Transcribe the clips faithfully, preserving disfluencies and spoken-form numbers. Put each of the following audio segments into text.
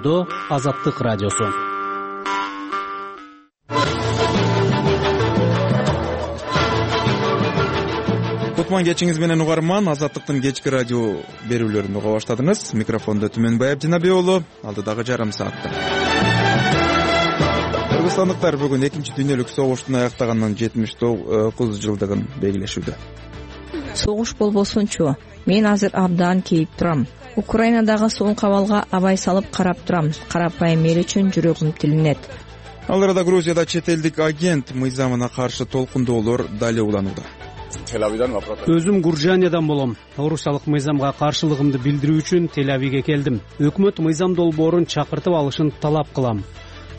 Жолоодо Азаттык радиосу. Кутман кечиңиз менен угарман, Азаттыктын кечки радио берүүлөрүн уга баштадыңыз. Микрофондо Түмөнбаев Жинабек уулу, алдыдагы жарым саатта. Кыргызстандыктар бүгүн экинчи дүйнөлүк согуштун аяктаганынан жетимиш тогуз жылдыгын белгилешүүдө. Согуш болбосунчу, мен азыр абдан кейип турам. Украинадагы соңку абалга абай салып карап турам. Карапайым эл үчүн жүрөгүм тилинет. Ал арада Грузияда чет элдик агент мыйзамына каршы толкундоолор дали уланууда. Өзүм Гуржаниядан болом. Орусиялык мыйзамга каршылыгымды билдирүү үчүн Тель-Авивге келдим. Өкмөт мыйзам долбоорун чакыртып алышын талап кылам.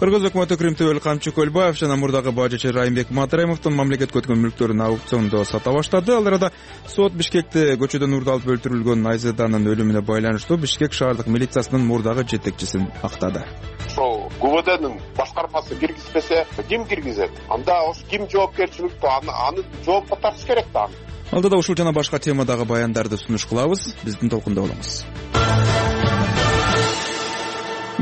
Кыргыз өкмөтү Крим төбөл Камчы Көлбаев жана мурдагы бажычы Райымбек Матраимовдун мамлекетке өткөн мүлктөрүн аукциондо сата баштады. Ал арада сот Бишкекте көчөдөн урдалып өлтүрүлгөн Айзеданын өлүмүнө байланыштуу Бишкек шаардык милициясынын мурдагы жетекчисин актады. Ошол ГУВДнын башкармасы киргизбесе, ким киргизет? Анда ошо ким жоопкерчиликтүү, аны жоопко тартыш керек да. Алдыда ушул жана башка темадагы баяндарды сунуш кылабыз. Биздин толкунда болуңуз.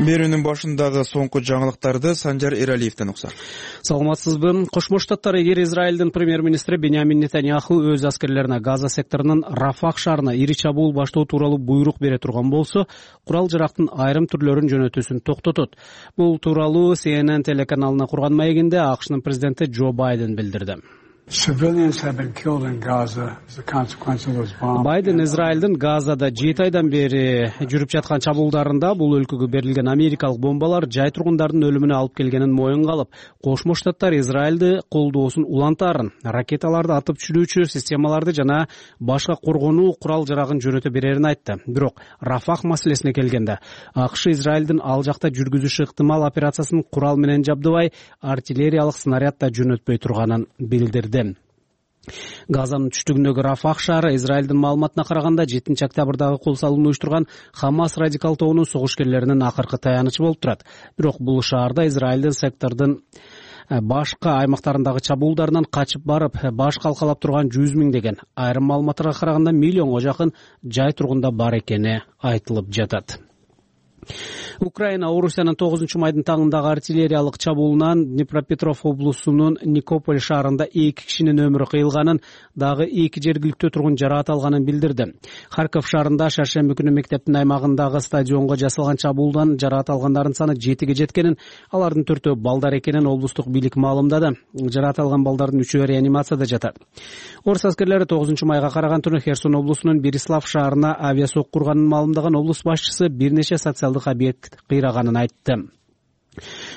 Берүүнүн башындагы соңку жаңылыктарды Санжар Эралиевден уксак. Саламатсызбы? Кошмо Штаттар эгер Израилдин премьер-министри Беньямин Нетаньяху өз аскерлерине Газа секторунун Рафах шаарына ири чабуул баштоо тууралуу буйрук бере турган болсо, курал-жарактын айрым түрлөрүн жөнөтүүсүн токтотот. Бул тууралуу Си Эн Эн телеканалына курган маегинде АКШнын президенти Джо Байден билдирди. Байден Израилдин Газада жети айдан бери жүрүп жаткан чабуулдарында бул өлкөгө берилген америкалык бомбалар жай тургундардын өлүмүнө алып келгенин моюнга алып, Кошмо Штаттар Израилди колдоосун улантаарын, ракеталарды атып түшүрүүчү системаларды жана башка коргонуу курал-жарагын жөнөтө берерин айтты. Бирок Рафах маселесине келгенде, АКШ Израилдин ал жакта жүргүзүшү ыктымал операциясын курал менен жабдыбай, артиллериялык снаряд да жөнөтпөй турганын билдирди. Газанын түштүгүндөгү Рафах шаары Израилдин маалыматына караганда жетинчи октябрдагы кол салууну уюштурган Хамас радикал тобунун согушкерлеринин акыркы таянычы болуп турат. Бирок бул шаарда Израилдин сектордун башка аймактарындагы чабуулдарынан качып барып, баш калкалап турган жүз миңдеген, айрым маалыматтарга караганда миллионго жакын жай тургунда бар экени айтылып жатат. Украина Орусиянын тогузунчу майдын таңындагы артиллериялык чабуулунан Днепропетров облусунун Никополь шаарында эки кишинин өмүрү кыйылганын, дагы эки жергиликтүү тургун жараат алганын билдирди. Харьков шаарында шаршемби күнү мектептин аймагындагы стадионго жасалган чабуулдан жараат алгандардын саны жетиге жеткенин, алардын төртөө балдар экенин облустук бийлик маалымдады. Жараат алган балдардын үчөө реанимацияда жатат. Орус аскерлери тогузунчу майга караган түнү Херсон облусунун Берислав шаарына авиасок курганын маалымдаган облус башчысы бир нече социалдык объект кыйраганын айтты.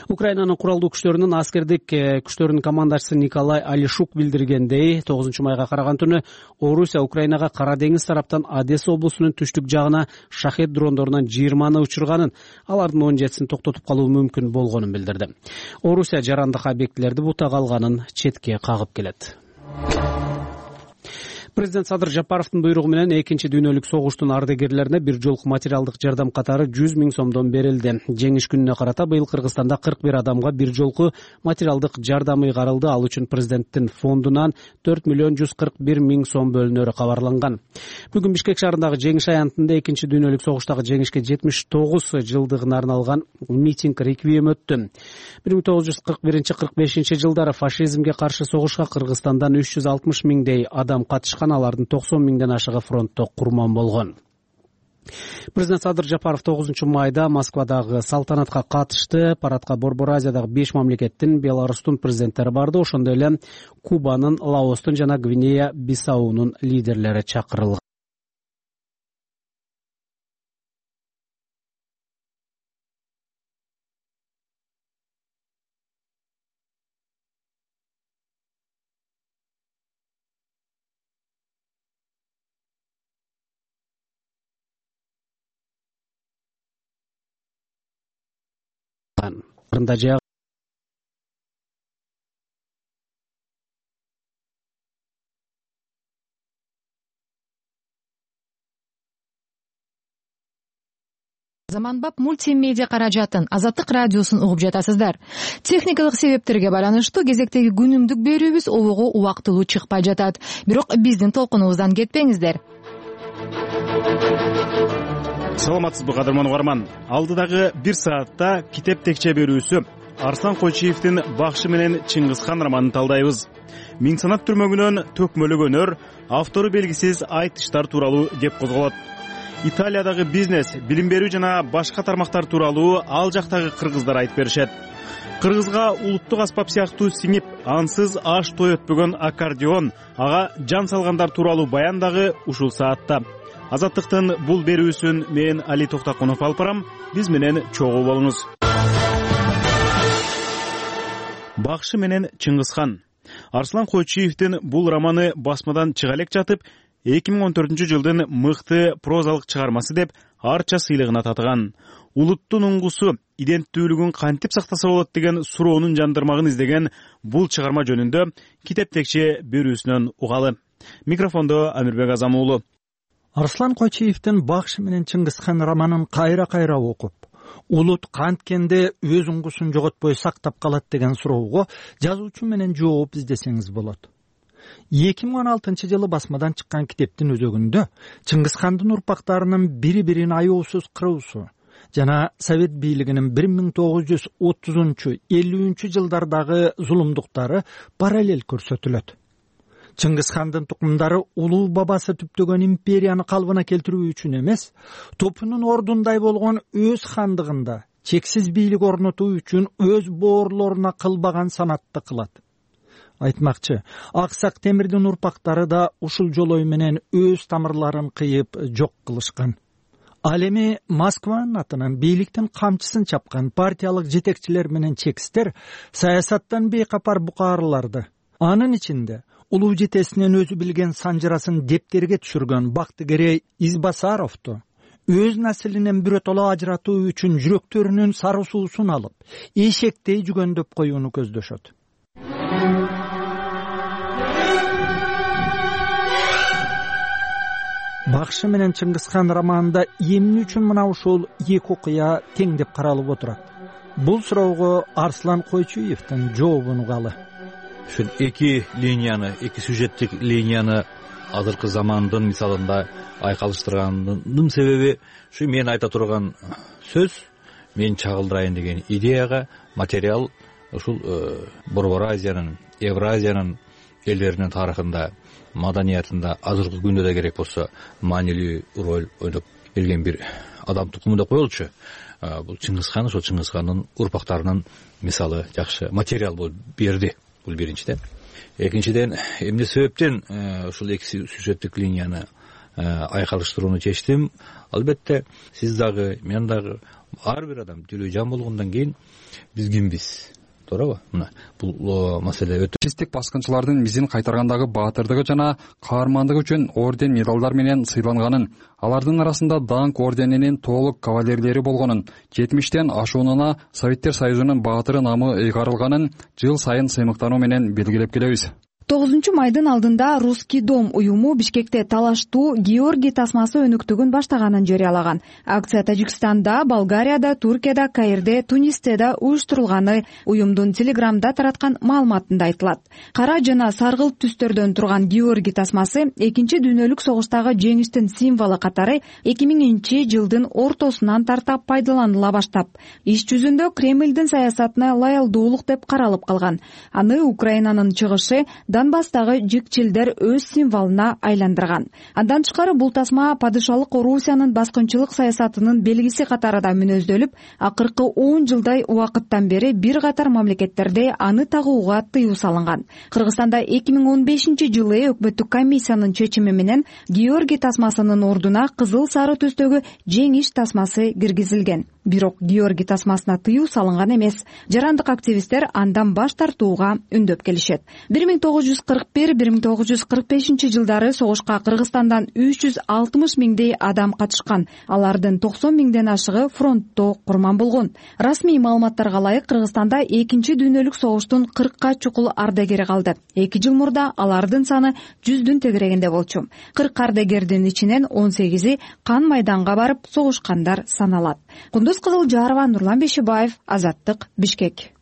Украинанын куралдуу күчтөрүнүн аскердик күчтөрүнүн командачысы Николай Алишук билдиргендей, тогузунчу майга караган түнү Орусия Украинага Кара деңиз тараптан Одесса облусунун түштүк жагына шахет дрондорунан жыйырманы учурганын, алардын он жетисин токтотуп калуу мүмкүн болгонун билдирди. Орусия жарандык объектилерди бутага алганын четке кагып келет. Президент Садыр Жапаровдун буйругу менен экинчи дүйнөлүк согуштун ардагерлерине бир жолку материалдык жардам катары жүз миң сомдон берилди. Жеңиш күнүнө карата быйыл Кыргызстанда кырк бир адамга бир жолку материалдык жардам ыйгарылды. Ал үчүн президенттин фондунан төрт миллион жүз кырк бир миң сом бөлүнөрү кабарланган. Бүгүн Бишкек шаарындагы жеңиш аянтында экинчи дүйнөлүк согуштагы жеңишке жетимиш тогуз жылдыгына арналган митинг реквием өттү. бир миң тогуз жүз кырк биринчи кырк бешинчи жылдары фашизмге каршы согушка Кыргызстандан үч жүз алтымыш миңдей адам катышкан, алардын токсон миңден ашыгы фронтто курман болгон. Президент Садыр Жапаров тогузунчу майда Москвадагы салтанатка катышты. Парадка Борбор Азиядагы беш мамлекеттин, Беларустун президенттери барды. Ошондой эле Кубанын, Лаостун жана Гвинея Бисаунун лидерлери чакырылган. Заманбап мультимедиа каражатын Азаттык радиосун угуп жатасыздар. Техникалык себептерге байланыштуу кезектеги күнүмдүк берүүбүз обого убактылуу чыкпай жатат. Бирок биздин толкунубуздан кетпеңиздер. Саламатсызбы кадырман угарман. Алдыдагы бир саатта китеп текче берүүсү Арслан Койчиевдин Бакшы менен Чыңгызхан романын талдайбыз. Миң санат түрмөгүнөн төкмөлөгөнөр, автору белгисиз айтыштар тууралуу кеп козголот. Италиядагы бизнес, билим берүү жана башка тармактар тууралуу ал жактагы кыргыздар айтып беришет. Кыргызга улуттук аспап сыяктуу сиңип, ансыз аш той өтпөгөн аккордеон, ага жан салгандар тууралуу баян дагы ушул саатта. Азаттыктын бул берүүсүн мен Али Токтакунов алып барам. Биз менен чогуу болуңуз. Бакшы менен Чыңгызхан. Арслан Койчиевдин бул романы басмадан чыга элек жатып, эки миң он төртүнчү жылдын мыкты прозалык чыгармасы деп арча сыйлыгына татыган. Улуттун уңгусу, иденттүүлүгүн кантип сактаса болот деген суроонун жандырмагын издеген бул чыгарма жөнүндө китеп текче берүүсүнөн угалы. Микрофондо Амирбек Азам уулу. Арслан Койчиевдин Бакшы менен Чыңгызхан романын кайра-кайра окуп, улут канткенде өз уңгусун жоготпой сактап калат деген суроого жазуучу менен жооп издесеңиз болот. эки миң он алтынчы жылы басмадан чыккан китептин өзөгүндө Чыңгызхандын урпактарынын бири-бирин аяосуз кыруусу жана Совет бийлигинин бир миң тогуз жүз отузунчу элүүнчү жылдардагы зулумдуктары параллель көрсөтүлөт. Чыңгызхандын тукумдары улуу бабасы түптөгөн империяны калыбына келтирүү үчүн эмес, топунун ордундай болгон өз хандыгында чексиз бийлик орнотуу үчүн өз боорлоруна кылбаган санатты кылат. Айтмакчы, Аксак Темирдин урпактары да ушул жолой менен өз тамырларын кыйып жок кылышкан. Ал эми Москванын атынан бийликтин камчысын чапкан партиялык жетекчилер менен чекистер саясаттан бейкапар букаарыларды, анын ичинде улуу жетесинен өзү билген санжырасын дептерге түшүргөн Бактыгерей Избасаровду өз наслинен биротоло ажыратуу үчүн жүрөктөрүнүн сары суусун алып, эшектей жүгөндөп коюуну көздөшөт. Бакшы менен Чыңгызхан романында эмне үчүн мына ушул эки окуя тең деп каралып отурат? Бул суроого Арслан Койчиевдин жообун угалы. Ушул эки линияны, эки сюжеттик линияны азыркы замандын мисалында айкалыштырганымдын себеби ушу мен айта турган сөз, мен чагылдырайын деген идеяга материал ушул Борбор Азиянын, Евразиянын элдеринин тарыхында, маданиятында азыркы күндө да керек болсо маанилүү роль ойноп келген бир адам тукуму деп коелучу. Бул Чыңгызхан, ошол Чыңгызхандын урпактарынын мисалы жакшы материал болуп берди. Бул биринчиден. Экинчиден, эмне себептен ушул эки сюжеттик линияны айкалыштырууну чечтим? Албетте, сиз дагы, мен дагы, ар бир адам тилүү жан болгондон кийин биз кимбиз? Туурабы? Мына бул маселе өтө фашисттик баскынчылардын мизин кайтаргандагы баатырдыгы жана каармандыгы үчүн орден медалдар менен сыйланганын, алардын арасында Даңк орденинин толук кавалерлери болгонун, жетимиштен ашуунуна Советтер Союзунун баатыры намы ыйгарылганын жыл сайын сыймыктануу менен белгилеп келебиз. тогузунчу майдын алдында Русский дом уюму Бишкекте талаштуу Георгий тасмасы өнүктүгүн баштаганын жарыялаган. Акция Тажикстанда, Болгарияда, Туркияда, Каирде, Тунисте да уюштурулганы уюмдун Телеграмда тараткан маалыматында айтылат. Кара жана саргылт түстөрдөн турган Георгий тасмасы экинчи дүйнөлүк согуштагы жеңиштин символу катары эки миңинчи жылдын ортосунан тарта пайдаланыла баштап, иш жүзүндө Кремлдин саясатына лоялдуулук деп каралып калган. Аны Украинанын чыгышы Донбасстагы жикчилдер өз символуна айландырган. Андан тышкары бул тасма падышалык Орусиянын баскынчылык саясатынын белгиси катары да мүнөздөлүп, акыркы он жылдай убакыттан бери бир катар мамлекеттерде аны тагууга тыюу салынган. Кыргызстанда эки миң он бешинчи жылы өкмөттүк комиссиянын чечими менен Георгий тасмасынын ордуна кызыл сары түстөгү жеңиш тасмасы киргизилген. Бирок Георгий тасмасына тыюу салынган эмес. Жарандык активисттер андан баш тартууга үндөп келишет. бир миң тогуз жүз кырк бир — бир миң тогуз жүз кырк бешинчи жылдары согушка Кыргызстандан үч жүз алтымыш миңдей адам катышкан. Алардын токсон миңден ашыгы фронтто курман болгон. Расмий маалыматтарга ылайык Кыргызстанда экинчи дүйнөлүк согуштун кыркка чукул ардагери калды. эки жыл мурда алардын саны жүздүн тегерегинде болчу. кырк ардагердин ичинен он сегизи кан майданга барып согушкандар саналат. Кундуз Кызылжарова, Нурлан Бешибаев, Азаттык, Бишкек.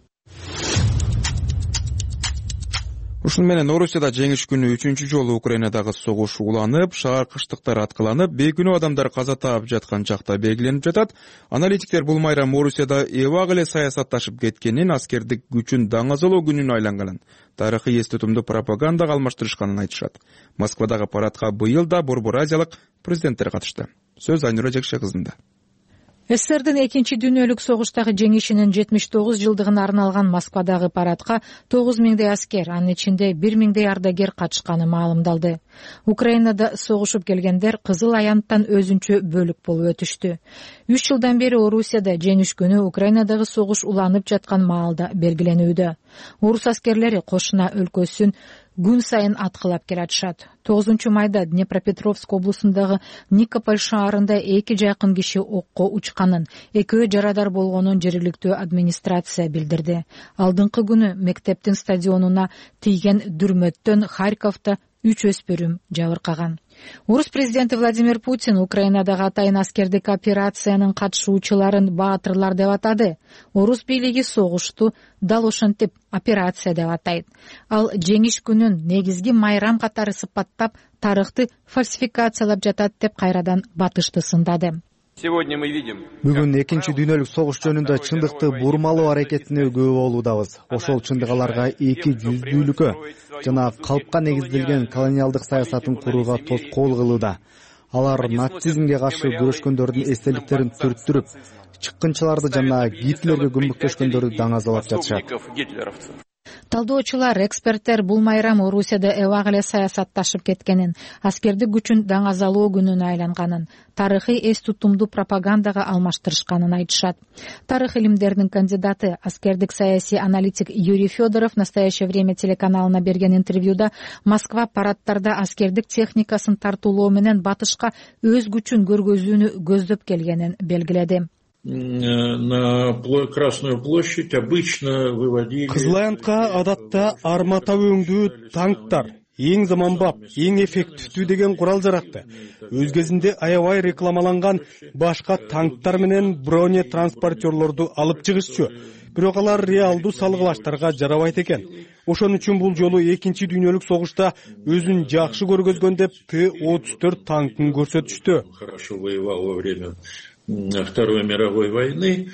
ушуну менен Орусияда жеңиш күнү үчүнчү жолу Украинадагы согуш уланып, шаар кыштыктар аткыланып, бейкүнөө адамдар каза таап жаткан чакта белгиленип жатат. Аналитиктер бул майрам Орусияда эбак эле саясатташып кеткенин, аскердик күчүн даңазалоо күнүнө айланганын, тарыхый эстетүүмдү пропагандага алмаштырышканын айтышат. Москвадагы парадка быйыл да Борбор Азиялык президенттер катышты. Сөз Айнура Жекше кызында. СССРдин экинчи дүйнөлүк согуштагы жеңишинин жетимиш тогуз жылдыгына арналган Москвадагы парадка тогуз миңдей аскер, анын ичинде бир миңдей ардагер катышканы маалымдалды. Украинада согушуп келгендер Кызыл аянттан өзүнчө бөлүк болуп өтүштү. Үч жылдан бери Орусияда жеңиш күнү Украинадагы согуш уланып жаткан маалда белгиленүүдө. Орус аскерлери кошуна өлкөсүн күн сайын аткылап келатышат. тогузунчу майда Днепропетровск облусундагы Никополь шаарында эки жакын киши окко учканын, экөө жарадар болгонун жергиликтүү администрация билдирди. Алдыңкы күнү мектептин стадионуна тийген дүрмөттөн Харьковдо үч өспүрүм жабыркаган. Орус президенти Владимир Путин Украинадагы атайын аскердик операциянын катышуучуларын баатырлар деп атады. Орус бийлиги согушту дал ошентип операция деп атайт. Ал жеңиш күнүн негизги майрам катары сыпаттап, тарыхты фальсификациялап жатат деп кайрадан батышты сындады. Бүгүн экинчи дүйнөлүк согуш жөнүндө чындыкты бурмалоо аракетине күбө болуудабыз. Ошол чындык аларга эки жүздүүлүккө жана калпка негизделген колониалдык саясатын курууга тоскоол кылууда. Алар нацизмге каршы күрөшкөндөрдүн эстеликтерин түрттүрүп, чыккынчыларды жана Гитлерге көмөктөшкөндөрдү даңазалап жатышат. Талдоочулар, эксперттер бул майрам Орусияда эбак эле саясатташып кеткенин, аскердик күчүн даңазалоо күнүнө айланганын, тарыхый эс тутумду пропагандага алмаштырышканын айтышат. Тарых илимдеринин кандидаты, аскердик саясий аналитик Юрий Федоров «Настоящее время» телеканалына берген интервьюда Москва парадтарда аскердик техникасын тартуулоо менен батышка өз күчүн көргөзүүнү көздөп келгенин белгиледи. На Красную площадь обычно выводили... Кызыл аянтка адатта армата өңдүү танктар, эң заманбап, эң эффективдүү деген курал жаракты. Өз кезинде аябай рекламаланган башка танктар менен броне транспортерлорду алып чыгышчу. Бирок алар реалдуу салгылаштарга жарабайт экен. Ошон үчүн бул жолу экинчи дүйнөлүк согушта өзүн жакшы көргөзгөн деп Т отуз төрт танкын көрсөтүштү. Хорошо воевал во время Второй мировой войны.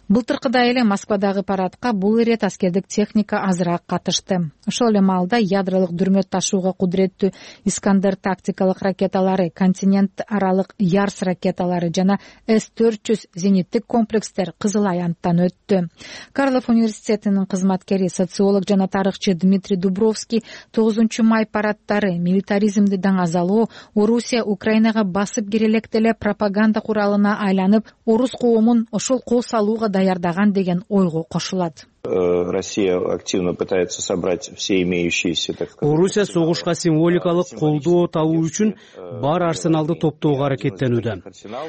Былтыркыдай эле Москвадагы парадка бул ирет аскердик техника азыраак катышты. Ошол эле маалда ядролук дүрмөт ташууга кудуреттүү Искандер тактикалык ракеталары, континент аралык Ярс ракеталары жана С төрт жүз зениттик комплекстер Кызыл аянттан өттү. Карлов университетинин кызматкери, социолог жана тарыхчы Дмитрий Дубровский тогузунчу май парадтары милитаризмди даңазалоо Орусия Украинага басып кирелек деле пропаганда куралына айланып, орус коомун ошол кол салууга даярдаган деген ойго кошулат. Россия активно пытается собрать все имеющиеся, так сказать. Орусия согушка символикалык колдоо табуу үчүн бар арсеналды топтоого аракеттенүүдө.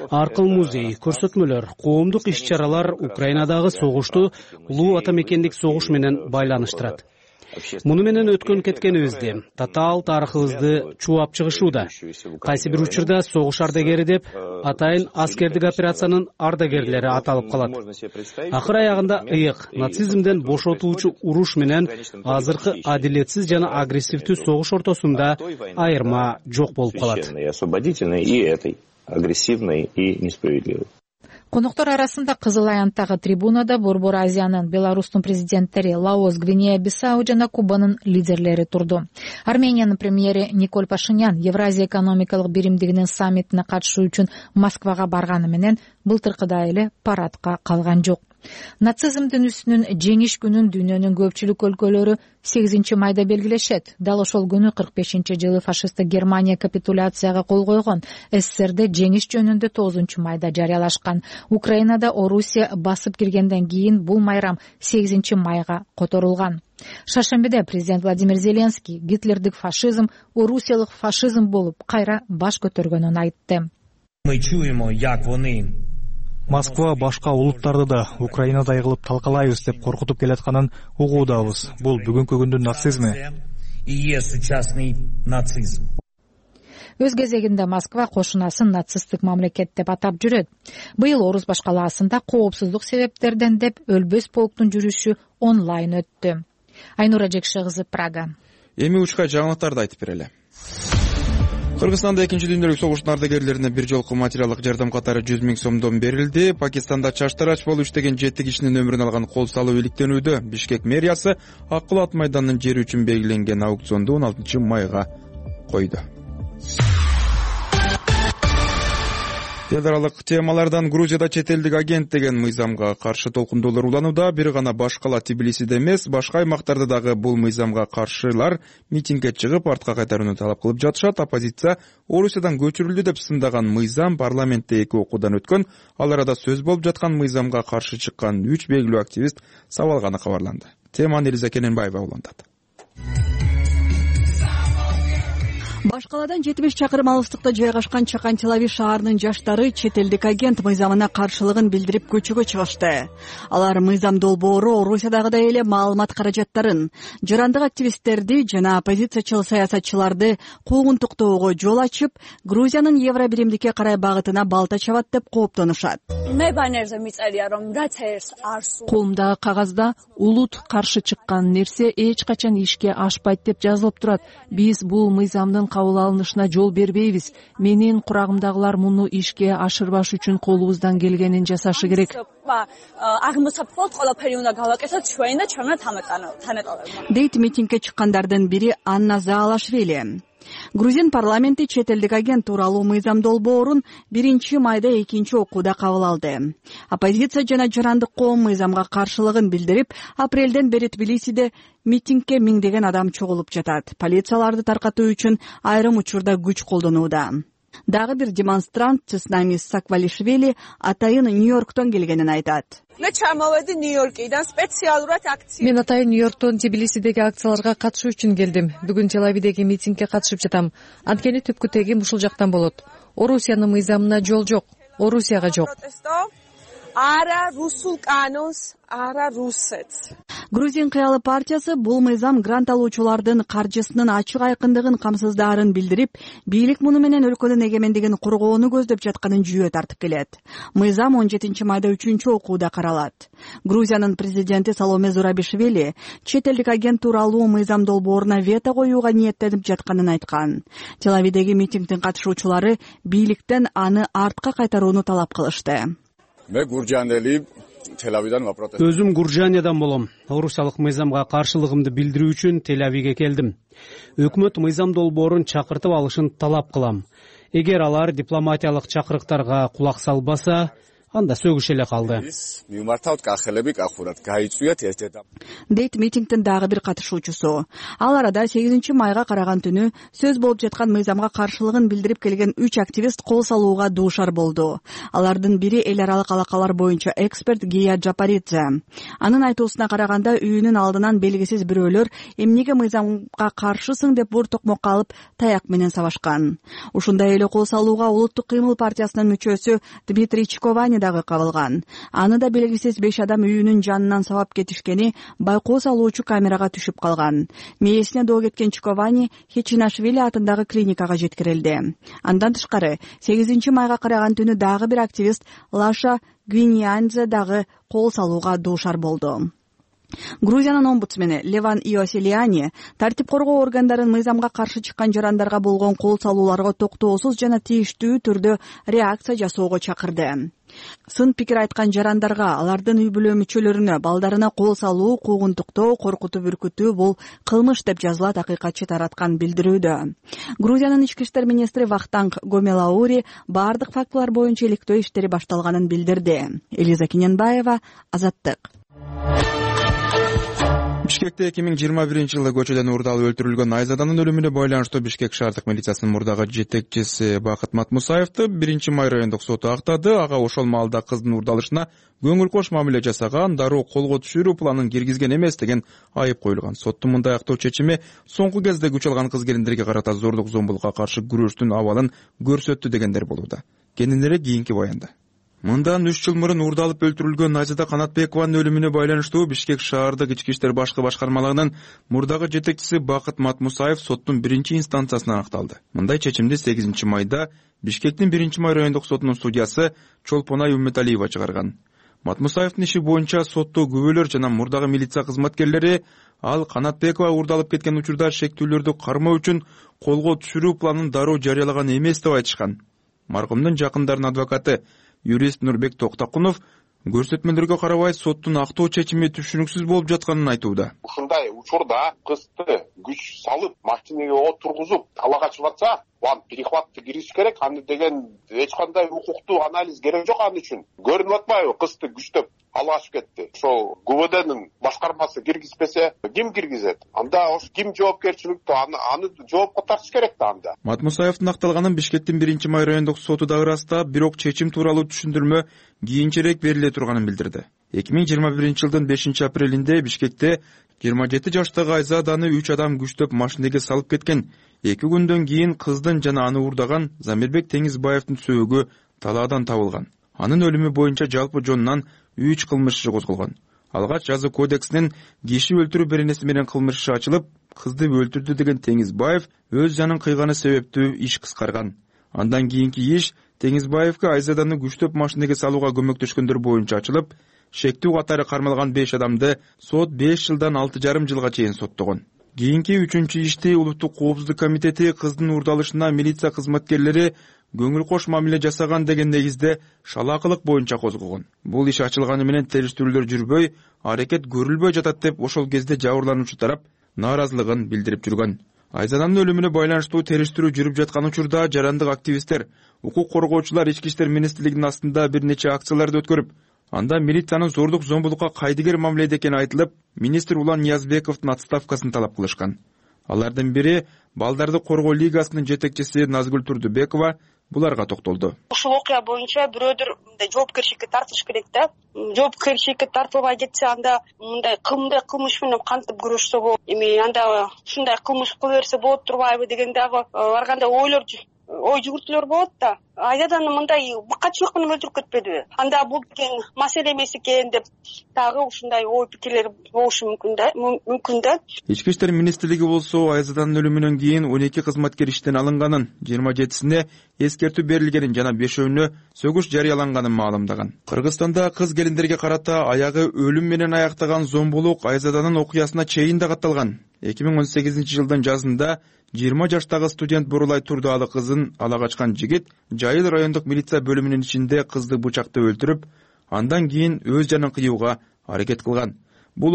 Аркыл музей, көрсөтмөлөр, коомдук иш-чаралар Украинадагы согушту улуу ата мекендик согуш менен байланыштырат. Муну менен өткөн кеткенибизди, татаал тарыхыбызды чуап чыгышууда. Кайсы бир учурда согуш ардагери деп атайын аскердик операциянын ардагерлери аталып калат. Акыр аягында ыйык нацизмден бошотуучу уруш менен азыркы адилетсиз жана агрессивдүү согуш ортосунда айырма жок болуп калат. Коноктор арасында Кызыл аянттагы трибунада Борбор Азиянын, Беларустун президенттери, Лаос, Гвинея Бисау жана Кубанын лидерлери турду. Армениянын премьери Николь Пашинян Евразия экономикалык биримдигинин саммитине катышуу үчүн Москвага барганы менен былтыркыдай эле парадка калган жок. Нацизмдин үстүнүн жеңиш күнүн дүйнөнүн көпчүлүк өлкөлөрү сегизинчи майда белгилешет. Дал ошол күнү кырк бешинчи жылы фашисттик Германия капитуляцияга кол койгон. СССРде жеңиш жөнүндө тогузунчу майда жарыялашкан. Украинада Орусия басып киргенден кийин бул майрам сегизинчи майга которулган. Шаршембиде президент Владимир Зеленский гитлердик фашизм орусиялык фашизм болуп кайра баш көтөргөнүн айтты. Мы чуємо, як вони Москва башка улуттарды да Украинадай кылып талкалайбыз деп коркутуп келатканын угуудабыз. Бул бүгүнкү күндүн нацизми. Өз кезегинде Москва кошунасын нацисттик мамлекет деп атап жүрөт. Быйыл Орус башкалаасында коопсуздук себептерден деп өлбөс полктун жүрүшү онлайн өттү. Айнура Жекше кызы, Прага. эми учка жаңылыктарды айтып берели. Кыргызстанда экинчи дүйнөлүк согуштун ардагерлерине бир жолку материалдык жардам катары жүз миң сомдон берилди. Пакистанда чаштарач болуп иштеген жети кишинин өмүрүн алган кол салуу иликтенүүдө. Бишкек мэриясы ак кулат майданынын жери үчүн белгиленген аукционду он алтынчы майга койду. Федералдык темалардан Грузияда чет элдик агент деген мыйзамга каршы толкундоолор уланууда. Бир гана башкала Тбилисиде эмес, башка аймактарда дагы бул мыйзамга каршылар митингге чыгып, артка кайтарууну талап кылып жатышат. Оппозиция Орусиядан көчүрүлдү деп сындаган мыйзам парламентте эки окуудан өткөн. Ал арада сөз болуп жаткан мыйзамга каршы чыккан үч белгилүү активист сабалганы кабарланды. Теманы Элиза Кененбаева улантат. Башкаладан жетимиш чакырым алыстыкта жайгашкан Чакан Телави шаарынын жаштары чет элдик агент мыйзамына каршылыгын билдирип көчөгө чыгышты. Алар мыйзам долбоору Орусиядагыдай эле маалымат каражаттарын, жарандык активисттерди жана оппозициячыл саясатчыларды куугунтуктоого жол ачып, Грузиянын евро биримдикке карай багытына балта чабат деп кооптонушат. Колумдагы кагазда улут каршы чыккан нерсе эч качан ишке ашпайт деп жазылып турат. Биз бул мыйзамдын кабыл алынышына жол бербейбиз. Менин курагымдагылар муну ишке ашырбаш үчүн колубуздан келгенин жасашы керек. Дейт митингге чыккандардын бири Анна Заалашвили. Грузин парламенти чет элдик агент тууралуу мыйзам долбоорун биринчи майда экинчи окууда кабыл алды. Оппозиция жана жарандык коом мыйзамга каршылыгын билдирип, апрелден бери Тбилисиде митингге миңдеген адам чогулуп жатат. Полицияларды таркатуу үчүн айрым учурда күч колдонууда. Дагы бир демонстрант Цеснамис Саквалишвили атайын Нью-Йорктон келгенин айтат. Мен атайын Нью-Йорктон Тбилисидеги акцияларга катышуу үчүн келдим. Бүгүн Телавидеги митингге катышып жатам. Анткени түпкү тегим ушул жактан болот. Орусиянын мыйзамына жол жок. Орусияга жок. Грузин кыялы партиясы бул мыйзам грант алуучулардын каржысынын ачык айкындыгын камсыздаарын билдирип, бийлик муну менен өлкөнүн эгемендигин коргоону көздөп жатканын жүйө тартып келет. Мыйзам он жетинчи майда үчүнчү окууда каралат. Грузиянын президенти Саломе Зурабишвили чет элдик агент тууралуу мыйзам долбооруна вето коюуга ниеттенип жатканын айткан. Телавидеги митингдин катышуучулары бийликтен аны артка кайтарууну талап кылышты. Өзүм Гуржаниядан болом. Орусиялык мыйзамга каршылыгымды билдирүү үчүн Телавиге келдим. Өкмөт мыйзам долбоорун чакыртып алышын талап кылам. Эгер алар дипломатиялык чакырыктарга кулак салбаса, анда сөгүш эле калды. Дейт митингдин дагы бир катышуучусу. Ал арада сегизинчи майга караган түнү сөз болуп жаткан мыйзамга каршылыгын билдирип келген үч активист кол салууга дуушар болду. Алардын бири эл аралык алакалар боюнча эксперт Гия Джапаридзе. Анын айтуусуна караганда үйүнүн алдынан белгисиз бирөөлөр эмнеге мыйзамга каршысың деп бур токмокко алып таяк менен сабашкан. Ушундай эле кол салууга Улуттук кыймыл партиясынын мүчөсү Дмитрий Чиковани дагы кабылган. Аны да белгисиз беш адам үйүнүн жанынан сабап кетишкени байкоо салуучу камерага түшүп калган. Мээсине доо кеткен Чиковани Хечинашвили атындагы клиникага жеткирилди. Андан тышкары сегизинчи майга караган түнү дагы бир активист Лаша Гвиньянзе дагы кол салууга дуушар болду. Грузиянын омбудсмени Леван Иоселиани тартип коргоо органдарын мыйзамга каршы чыккан жарандарга болгон кол салууларга токтоосуз жана тийиштүү түрдө реакция жасоого чакырды. Сын пикир айткан жарандарга, алардын үй бүлө мүчөлөрүнө, балдарына кол салуу, куугунтуктоо, коркутуп үркүтүү бул кылмыш деп жазылат акыйкатчы тараткан билдирүүдө. Грузиянын ички иштер министри Вахтанг Гомелаури баардык фактылар боюнча иликтөө иштери башталганын билдирди. Элиза Кененбаева, Азаттык. Бишкекте эки миң жыйырма биринчи жылы көчөдөн уурдалып өлтүрүлгөн Айзаданын өлүмүнө байланыштуу Бишкек шаардык милициясынын мурдагы жетекчиси Бакыт Матмусаевди биринчи май райондук соту актады. Ага ошол маалда кыздын уурдалышына көңүл кош мамиле жасаган, дароо колго түшүрүү планын киргизген эмес деген айып коюлган. Соттун мындай актоо чечими соңку кезде күч алган кыз келиндерге карата зордук зомбулукка каршы күрөштүн абалын көрсөттү дегендер болууда. Кененирээк кийинки баянда. Мындан үч жыл мурун уурдалып өлтүрүлгөн Айзада Канатбекованын өлүмүнө байланыштуу Бишкек шаардык ички иштер башкы башкармалыгынын мурдагы жетекчиси Бакыт Матмусаев соттун биринчи инстанциясынан акталды. Мындай чечимди сегизинчи майда Бишкектин биринчи май райондук сотунун судьясы Чолпонай Умметалиева чыгарган. Матмусаевдин иши боюнча сотто күбөлөр жана мурдагы милиция кызматкерлери ал Канатбекова уурдалып кеткен учурда шектүүлөрдү кармоо үчүн колго түшүрүү планын дароо жарыялаган эмес деп айтышкан. Маркумдун жакындарынын адвокаты юрист Нурбек Токтокунов көрсөтмөлөргө карабай соттун актоо чечими түшүнүксүз болуп жатканын айтууда. Ушундай учурда кызды күч салып машинеге отургузуп талаага чыгып атса, аны перехватты кириш керек. Аны деген эч кандай укуктуу анализ керек жок аны үчүн. Көрүнүп атпайбы, кызды күчтөп ала ашып кетти. Ошол ГУВДнын башкармасы киргизбесе, ким киргизет? Анда ошо ким жоопкерчиликтүү? Аны аны жоопко тартыш керек да анда. Матмусаевдин акталганын Бишкектин биринчи май райондук соту дагы ырастап, бирок чечим тууралуу түшүндүрмө кийинчерээк бериле турганын билдирди. эки миң жыйырма биринчи жылдын бешинчи апрелинде Бишкекте жыйырма жети жаштагы Айзаданы үч адам күчтөп машинеге салып кеткен. эки күндөн кийин кыздын жана аны уурдаган Замирбек Теңизбаевдин сөөгү талаадан табылган. Анын өлүмү боюнча жалпы жонунан үч кылмыш иши козголгон. Алгач жаза кодексинин киши өлтүрүү беренеси менен кылмыш иши ачылып, кызды өлтүрдү деген Теңизбаев өз жанын кыйганы себептүү иш кыскарган. Андан кийинки иш Теңизбаевге Айзаданы күчтөп машинеге салууга көмөктөшкөндөр боюнча ачылып, шектүү катары кармалган беш адамды сот беш жылдан алты жарым жылга чейин соттогон. Кийинки үчүнчү ишти Улуттук коопсуздук комитети кыздын уурдалышына милиция кызматкерлери көңүл кош мамиле жасаган деген негизде шалаакылык боюнча козгогон. Бул иш ачылганы менен териштирүүлөр жүрбөй, аракет көрүлбөй жатат деп ошол кезде жабырлануучу тарап нааразылыгын билдирип жүргөн. Айзаданын өлүмүнө байланыштуу териштирүү жүрүп жаткан учурда жарандык активисттер, укук коргоочулар Ички иштер министрлигинин астында бир нече акцияларды өткөрүп, анда милициянын зордук зомбулукка кайдыгер мамиледе экени айтылып, министр Улан Ниязбековдун отставкасын талап кылышкан. Алардын бири Балдарды коргоо лигасынын жетекчиси Назгүл Турдубекова буларга токтолду. Ушул окуя боюнча бирөөдөр мындай жоопкерчиликке тартыш керек да. Жоопкерчиликке тартылбай кетсе, анда мындай кымдай кылмыш менен кантип күрөшсө болот? Эми анда ушундай кылмыш кыла берсе болот турбайбы деген дагы ар кандай ойлор ой жүгүртүүлөр болот да. Айзаданы мындай быкачылык менен өлтүрүп кетпедиби? Анда бул деген маселе эмес экен деп дагы ушундай ой пикирлер болушу мүмкүн да, мүмкүн да. Ички иштер министрлиги болсо Айзаданын өлүмүнөн кийин он эки кызматкер иштен алынганын, жыйырма жетисине эскертүү берилгенин жана бешөөнүнө сөгүш жарыяланганын маалымдаган. Кыргызстанда кыз келиндерге карата аягы өлүм менен аяктаган зомбулук Айзаданын окуясына чейин да катталган. эки миң он сегизинчи жылдын жазында жыйырма жаштагы студент Бурулай Турдуалы кызын ала качкан жигит Жайыл райондук милиция бөлүмүнүн ичинде кызды бычактап өлтүрүп, андан кийин өз жанын кыюуга аракет кылган. Бул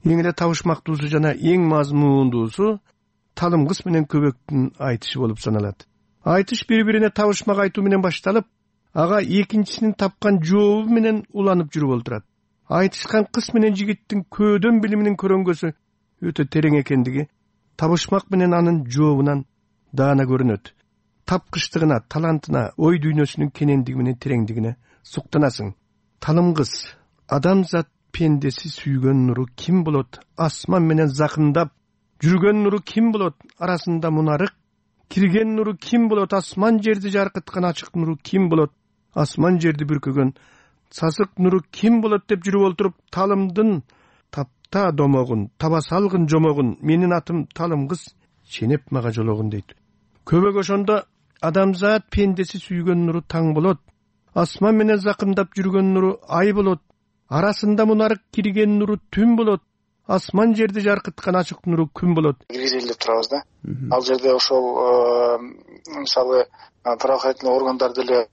эң эле табышмактуусу жана эң мазмундуусу талым кыз менен көбөктүн айтышы болуп саналат. Айтыш бири-бирине табышмак айтуу менен башталып, ага экинчисинин тапкан жообу менен уланып жүрүп олтурат. Айтышкан кыз менен жигиттин көөдөн билиминин көрөнгөсү өтө терең экендиги табышмак менен анын жообунан даана көрүнөт. Тапкычтыгына, талантына, ой дүйнөсүнүн кенендиги менен тереңдигине суктанасың. Талым кыз адамзат пендеси сүйгөн нуру ким болот? Асман менен закындап жүргөн нуру ким болот? Арасында мунарык кирген нуру ким болот? Асман жерди жаркыткан ачык нуру ким болот? Асман жерди бүркөгөн сасык нуру ким болот деп жүрүп олтуруп, талымдын тапта домогун, таба салгын жомогун, менин атым талым кыз, ченеп мага жологун дейт. Көбөк ошондо адамзат пендеси сүйгөн нуру таң болот. Асман менен закындап жүргөн нуру ай болот. Арасында мунарык кирген нуру түн болот. Асман жерди жаркыткан ачык нуру күн болот. Киргизели деп турабыз да. Ал жерде ошол мисалы правоохранительный органдар деле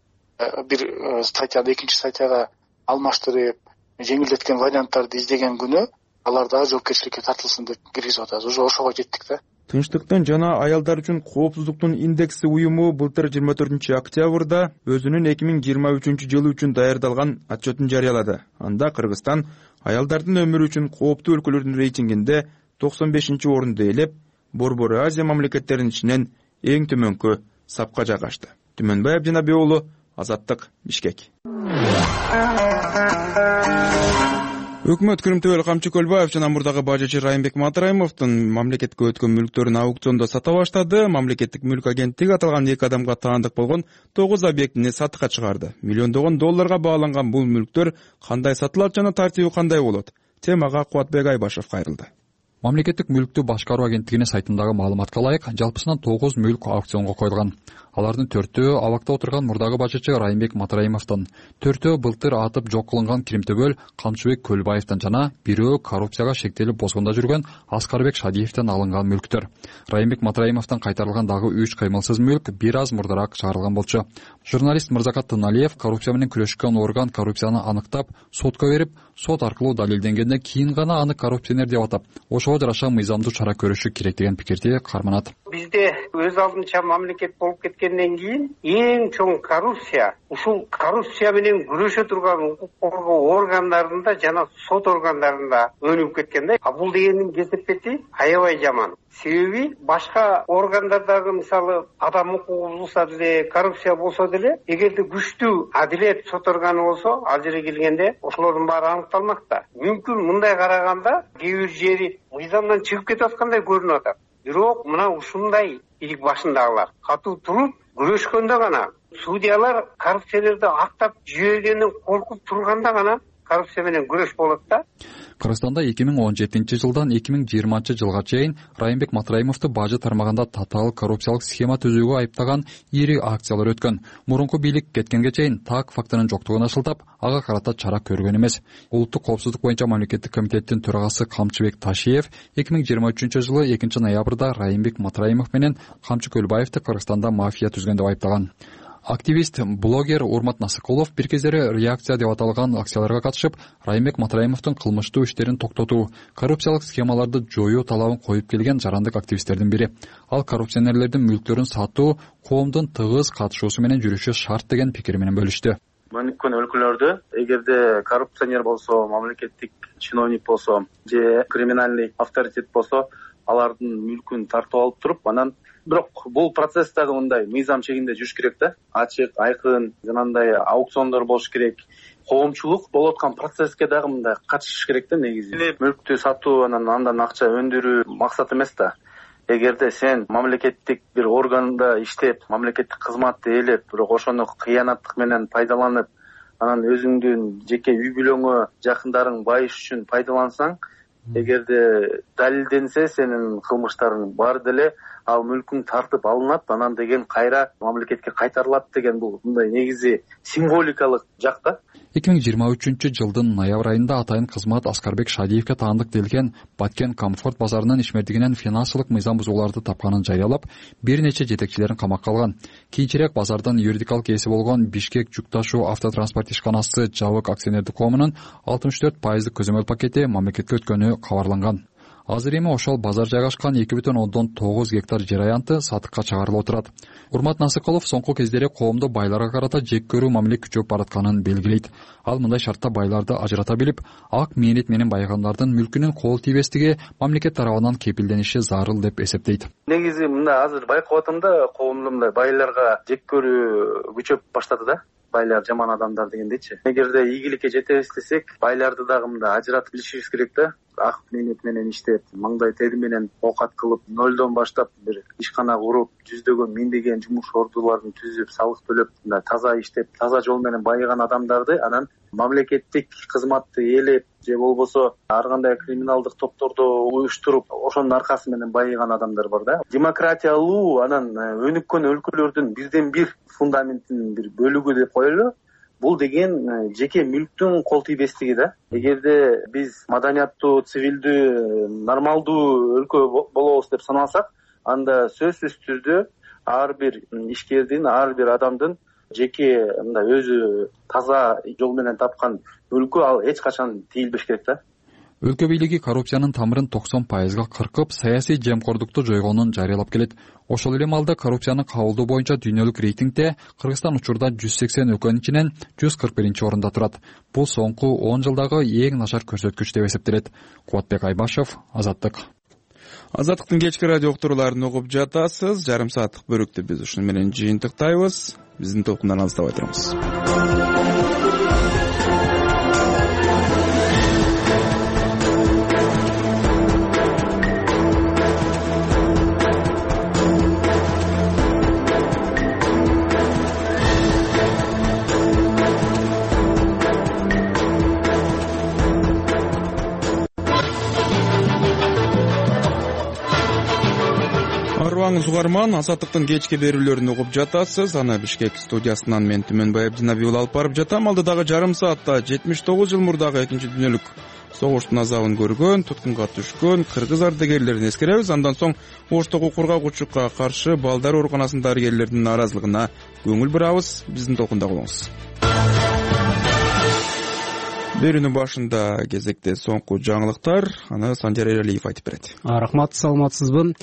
бир статьяды экинчи статьяга алмаштырып, жеңилдеткен варианттарды издеген күнү алар дагы жоопкерчиликке тартылсын деп киргизип атабыз. Уже ошого жеттик да. Тынчтыктын жана аялдар үчүн коопсуздуктун индекси уюму былтыр жыйырма төртүнчү октябрда өзүнүн эки миң жыйырма үчүнчү жылы үчүн даярдалган отчетун жарыялады. Анда Кыргызстан аялдардын өмүрү үчүн кооптуу өлкөлөрдүн рейтингинде токсон бешинчи орунду ээлеп, Борбор Азия мамлекеттеринин ичинен эң төмөнкү сапка жайгашты. Түмөнбай Абдинабек уулу, Азаттык, Бишкек. өкмөт Күрүмтөбөл Камчы Көлбаев жана мурдагы бажычы Райымбек Матраимовдун мамлекетке өткөн мүлктөрүн аукциондо сата баштады. Мамлекеттик мүлк агенттиги аталган эки адамга таандык болгон тогуз объектини сатыкка чыгарды. Миллиондогон долларга бааланган бул мүлктөр кандай сатылат жана тартиби кандай болот? Темага Кубатбек Айбашев кайрылды. Мамлекеттик мүлктү башкаруу агенттигинин сайтындагы маалыматка ылайык, жалпысынан тогуз мүлк аукционго коюлган. Алардын төртөө абакта отурган мурдагы бажычы Райымбек Матраимовдон, төртөө былтыр атып жок кылынган Киримтөбөл Камчыбек Көлбаевден жана бирөө коррупцияга шектелип бозгондо жүргөн Аскарбек Шадиевден алынган мүлктөр. Райымбек Матраимовдон кайтарылган дагы үч кыймылсыз мүлк бир аз мурдараак чыгарылган болчу. Журналист Мырзакат Тыналиев коррупция менен күрөшкөн орган коррупцияны аныктап, сотко берип, сот аркылуу далилденгенден кийин гана аны коррупционер деп атап, ошого жараша мыйзамдуу чара көрүшү керек деген пикирди карманат. Бизде өз алдынча мамлекет болуп кеткенден кийин эң чоң коррупция ушул коррупция менен күрөшө турган укук коргоо органдарында жана сот органдарында өнүгүп кеткен да. А бул дегендин кесепети аябай жаман. Себеби башка органдардагы мисалы адам укугу бузулса деле, коррупция болсо деле, эгерде күчтүү адилет сот органы болсо, ал жерге келгенде ошолордун баары аныкталмак да. Мүмкүн мындай караганда кээ бир жери мыйзамдан чыгып кетип аткандай көрүнүп атат. Бирок мына ушундай илик башындагылар катуу туруп күрөшкөндө гана, судьялар коррупцияларды актап жүйөгөнүн коркуп турганда гана коррупция менен күрөш болот да. Кыргызстанда эки миң он жетинчи жылдан эки миң жыйырманчы жылга чейин Райымбек Матраимовду бажы тармагында татаал коррупциялык схема түзүүгө айыптаган ири акциялар өткөн. Мурунку бийлик кеткенге чейин так фактынын жоктугун ашылтап, ага карата чара көргөн эмес. Улуттук коопсуздук боюнча мамлекеттик комитеттин төрагасы Камчыбек Ташиев эки миң жыйырма үчүнчү жылы экинчи ноябрда Райымбек Матраимов менен Камчы Көлбаевди Кыргызстанда мафия түзгөн деп айыптаган. Активист, блогер Урмат Насыкулов бир кездери реакция деп аталган акцияларга катышып, Райымбек Матраимовдун кылмыштуу иштерин токтотуу, коррупциялык схемаларды жоюу талабын коюп келген жарандык активисттердин бири. Ал коррупционерлердин мүлктөрүн сатуу коомдун тыгыз катышуусу менен жүрүшү шарт деген пикири менен бөлүштү. Мөнүккөн өлкөлөрдө эгерде коррупционер болсо, мамлекеттик чиновник болсо, же криминальный авторитет болсо, алардын мүлкүн тартып алып туруп, анан бирок бул процесс дагы мындай мыйзам чегинде жүрүш керек да. Ачык, айкын, жанагындай аукциондор болуш керек. Коомчулук болуп аткан процесске дагы мындай катышыш керек да негизи. Мүлктү сатуу, анан андан акча өндүрүү максат эмес да. Эгерде сен мамлекеттик бир органда иштеп, мамлекеттик кызматты ээлеп, бирок ошону кыянаттык менен пайдаланып, анан өзүңдүн жеке үй бүлөңө, жакындарың байыш үчүн пайдалансаң, эгерде далилденсе сенин кылмыштарың бар деле, ал мүлкүң тартып алынат, анан деген кайра мамлекетке кайтарылат деген бул мындай негизи символикалык жакта. эки миң жыйырма үчүнчү жылдын ноябрь айында атайын кызмат Аскарбек Шадиевке таандык делген Баткен Комфорт базарынын ишмердигинен финансылык мыйзам бузууларды тапканын жарыялап, бир нече жетекчилерин камакка алган. Кийинчерээк базардын юридикалык ээси болгон Бишкек жүк ташуу автотранспорт ишканасы Жабык акционердик коомунун алтымыш төрт пайыздык көзөмөл пакети мамлекетке өткөнү кабарланган. Азыр эми ошол базар жайгашкан эки бүтүн ондон тогуз гектар жер аянты сатыкка чыгарылып отурат. Урмат Насыкулов соңку кездери коомдо байларга карата жек көрүү мамиле күчөп баратканын белгилейт. Ал мындай шартта байларды ажырата билип, ак мээнет менен байыгандардын мүлкүнүн кол тийбестиги мамлекет тарабынан кепилдениши зарыл деп эсептейт. Негизи мында азыр байкап атам да, коомдо мындай байларга жек көрүү күчөп баштады да. Байлар жаман адамдар дегендейчи. Эгерде ийгиликке жетебиз десек, байларды дагы мында ажыратып билишибиз керек да. Ак мээнет менен иштеп, маңдай тери менен оокат кылып, нөлдөн баштап бир ишкана куруп, жүздөгөн, миңдеген жумуш ордуларын түзүп, салык төлөп, мындай таза иштеп, таза жол менен байыган адамдарды анан мамлекеттик кызматты ээлеп же болбосо ар кандай криминалдык топторду уюштуруп, ошонун аркасы менен байыган адамдар бар да. Демократиялуу анан өнүккөн өлкөлөрдүн бирден бир фундаментинин бир бөлүгү деп коелу. Бул деген жеке мүлктүн кол тийбестиги да. Эгерде биз маданияттуу, цивилдүү, нормалдуу өлкө болобуз деп санасак, анда сөзсүз түрдө ар бир ишкердин, ар бир адамдын жеке мындай өзү таза жол менен тапкан мүлкү ал эч качан тийилбеш керек да. Өлкө бийлиги коррупциянын тамырын токсон пайызга кыркып, саясий жемкордукту жойгонун жарыялап келет. Ошол эле маалда коррупциянын кабылдоо боюнча дүйнөлүк рейтингде Кыргызстан учурда жүз сексен өлкөнүн ичинен жүз кырк биринчи орунда турат. Бул соңку он жылдагы эң начар көрсөткүч деп эсептелет. Кубатбек Айбашев, Азаттык. Азаттыктын кечки радио уктурууларын угуп жатасыз. Жарым сааттык бөлүктү биз ушуну менен жыйынтыктайбыз. Биздин толкундан алыстабай туруңуз. арыбаңыз угарман, Азаттыктын кечки берүүлөрүн угуп жатасыз. Аны Бишкек студиясынан мен Түмөнбай Абдинаби уулу алып барып жатам. Алдыдагы жарым саатта жетимиш тогуз жыл мурдагы экинчи дүйнөлүк согуштун азабын көргөн, туткунга түшкөн кыргыз ардагерлерин эскеребиз. Андан соң Оштогу кургагучулукка каршы балдар ооруканасынын дарыгерлеринин нааразылыгына көңүл бурабыз. Биздин толкунда болуңуз. Берүүнүн башында кезекте соңку жаңылыктар, аны Санжар Эралиев айтып берет. Рахмат, саламатсызбы?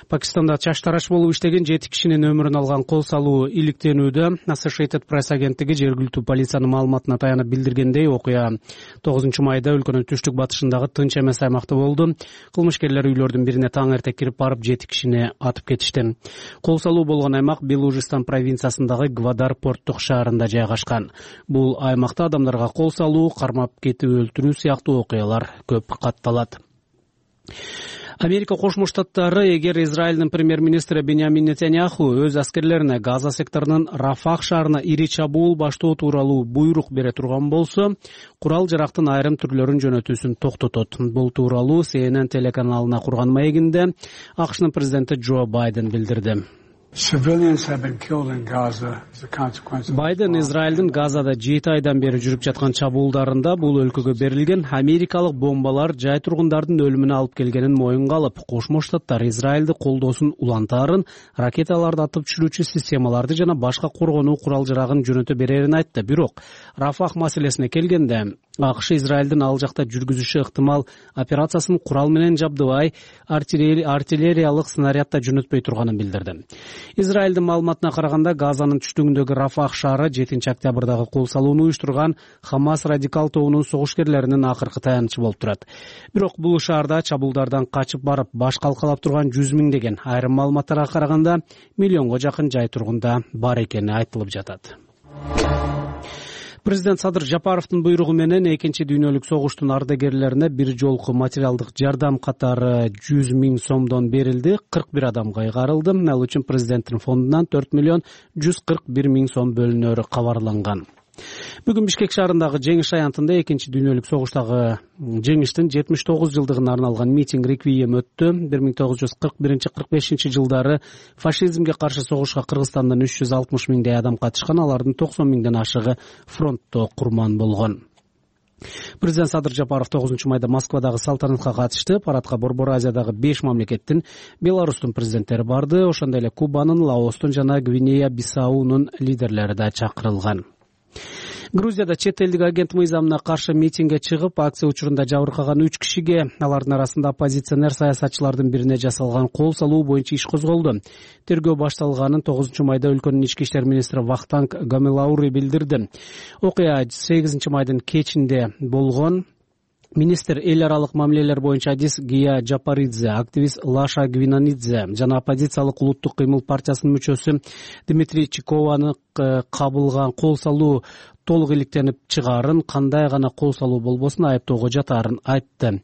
Пакистанда чач тарач болуп иштеген жети кишинин өмүрүн алган кол салуу иликтенүүдө. Associated Press агенттиги жергиликтүү полициянын маалыматына таянып билдиргендей, окуя тогузунчу майда өлкөнүн түштүк батышындагы тынч эмес аймакта болду. Кылмышкерлер үйлөрдүн бирине таң эрте кирип барып жети кишини атып кетишти. Кол салуу болгон аймак Белужистан провинциясындагы Гвадар порттук шаарында жайгашкан. Бул аймакта адамдарга кол салуу, кармап кетип өлтүрүү сыяктуу окуялар көп катталат. Америка Кошмо Штаттары эгер Израилдин премьер-министри Беньямин Нетаньяху өз аскерлерине Газа секторунун Рафах шаарына ири чабуул баштоо тууралуу буйрук бере турган болсо, курал жарактын айрым түрлөрүн жөнөтүүсүн токтотот. Бул тууралуу Си Эн Эн телеканалына курган маегинде АКШнын президенти Джо Байден билдирди. Байден Израилдин Газада жети айдан бери жүрүп жаткан чабуулдарында бул өлкөгө берилген америкалык бомбалар жай тургундардын өлүмүнө алып келгенин моюнга алып, Кошмо Штаттар Израилди колдоосун улантаарын, ракеталарды атып түшүрүүчү системаларды жана башка коргонуу курал жарагын жөнөтө берерин айтты. Бирок Рафах маселесине келгенде, АКШ Израилдин ал жакта жүргүзүшү ыктымал операциясын курал менен жабдыбай, артиллериялык снарядда жөнөтпөй турганын билдирди. Израилдин маалыматына караганда, Газанын түштүгүндөгү Рафах шаары жетинчи октябрдагы кол салууну уюштурган Хамас радикал тобунун согушкерлеринин акыркы таянычы болуп турат. Бирок бул шаарда чабуулдардан качып барып баш калкалап турган жүз миңдеген, айрым маалыматтарга караганда миллионго жакын жай тургунда бар экени айтылып жатат. Президент Садыр Жапаровдун буйругу менен экинчи дүйнөлүк согуштун ардагерлерине бир жолку материалдык жардам катары жүз миң сомдон берилди. кырк бир адам кайгарылды. Ал үчүн президенттин фондунан төрт миллион жүз кырк бир миң сом бөлүнөрү кабарланган. Бүгүн Бишкек шаарындагы жеңиш аянтында экинчи дүйнөлүк согуштагы жеңиштин жетимиш тогуз жылдыгына арналган митинг реквием өттү. бир миң тогуз жүз кырк биринчи кырк бешинчи жылдары фашизмге каршы согушка Кыргызстандан үч жүз алтымыш миңдей адам катышкан, алардын токсон миңден ашыгы фронтто курман болгон. Президент Садыр Жапаров тогузунчу майда Москвадагы салтанатка катышты. Парадка Борбор Азиядагы беш мамлекеттин, Беларустун президенттери барды. Ошондой эле Кубанын, Лаостун жана Гвинея-Бисаунун лидерлери да чакырылган. Грузияда чет элдик агент мыйзамына каршы митингге чыгып, акция учурунда жабыркаган үч кишиге, алардын арасында оппозиционер саясатчылардын бирине жасалган кол салуу боюнча иш козголду. Тергөө башталганын тогузунчу майда өлкөнүн ички иштер министри Вахтанг Гамелаури билдирди. Окуя сегизинчи майдын кечинде болгон. Министр эл аралык мамилелер боюнча Адис Гия Жапаридзе, активист Лаша Гвинанидзе жана оппозициялык улуттук кыймыл партиясынын мүчөсү Дмитрий Чикованы кабылган кол салуу толук иликтенип чыгаарын, кандай гана кол салуу болбосун айыптоого жатаарын айтты.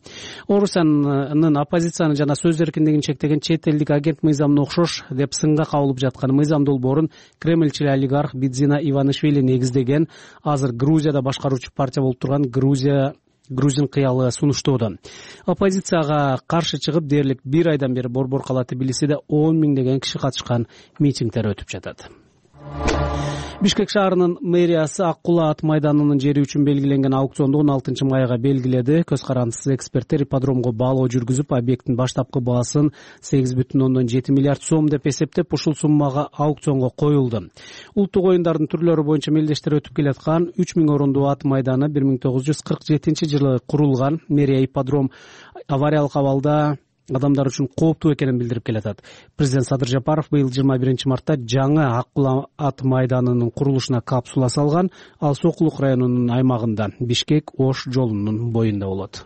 Орусиянын оппозицияны жана сөз эркиндигин чектеген чет элдик агент мыйзамына окшош деп сынга кабылып жаткан мыйзам долбоорун Кремльчил олигарх Бидзина Иванишвили негиздеген, азыр Грузияда башкаруучу партия болуп турган Грузия Грузин кыялы сунуштоодо. Оппозицияга каршы чыгып, дээрлик бир айдан бери Борбор кала Тбилисиде он миңдеген киши катышкан митингдер өтүп жатат. Бишкек шаарынын мэриясы Ак Кула ат майданынын жери үчүн белгиленген аукционду он алтынчы майга белгиледи. Көз карандысыз эксперттер ипподромго баалоо жүргүзүп, объекттин баштапкы баасын сегиз бүтүн ондон жети миллиард сом деп эсептеп, ушул суммага аукционго коюлду. Улуттук оюндардын түрлөрү боюнча мелдештер өтүп келаткан үч миң орундуу ат майданы бир миң тогуз жүз кырк жетинчи жылы курулган. Мэрия ипподром авариялык абалда адамдар үчүн кооптуу экенин билдирип келатат. Президент Садыр Жапаров быйыл жыйырма биринчи мартта жаңы Ак Кула ат майданынын курулушуна капсула салган. Ал Сокулук районунун аймагында, Бишкек-Ош жолунун боюнда болот.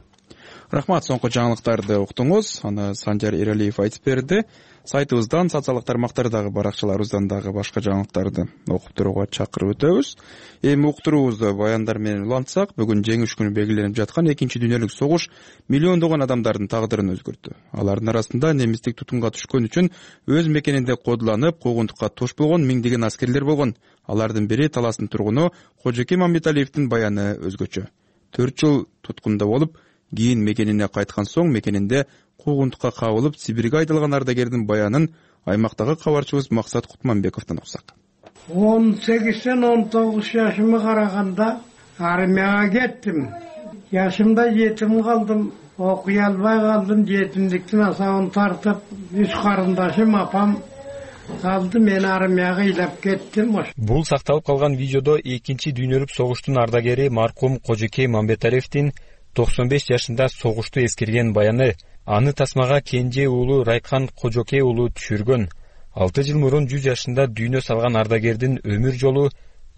Рахмат, соңку жаңылыктарды уктуңуз. Аны Санжар Эралиев айтып берди. Сайтыбыздан, социалдык тармактардагы баракчаларыбыздан дагы башка жаңылыктарды окуп турууга чакырып өтөбүз. Эми уктуруубузду баяндар менен улантсак, бүгүн жеңиш күнү белгиленип жаткан экинчи дүйнөлүк согуш миллиондогон адамдардын тагдырын өзгөрттү. Алардын арасында немистик тутумга түшкөн үчүн өз мекенинде кодуланып, куугунтукка туш болгон миңдеген аскерлер болгон. Алардын бири Таластын тургуну Кожоке Мамбеталиевдин баяны өзгөчө. төрт жыл туткунда болуп, кийин мекенине кайткан соң мекенинде куугунтукка кабылып Сибирге айдалган ардагердин баянын аймактагы кабарчыбыз Максат Кутманбековдон уксак. он сегизден он тогуз жашыма караганда армияга кеттим. Жашымда жетим калдым, окуй албай калдым. Жетимдиктин асабын тартып, үч карындашым, апам калды. Мен армияга ыйлап кеттим. Бул сакталып калган видеодо экинчи дүйнөлүк согуштун ардагери маркум Кожокей Мамбеталиевдин токсон беш жашында согушту эскерген баяны. Аны тасмага кенже уулу Райкан Кожокей уулу түшүргөн. алты жыл мурун жүз жашында дүйнө салган ардагердин өмүр жолу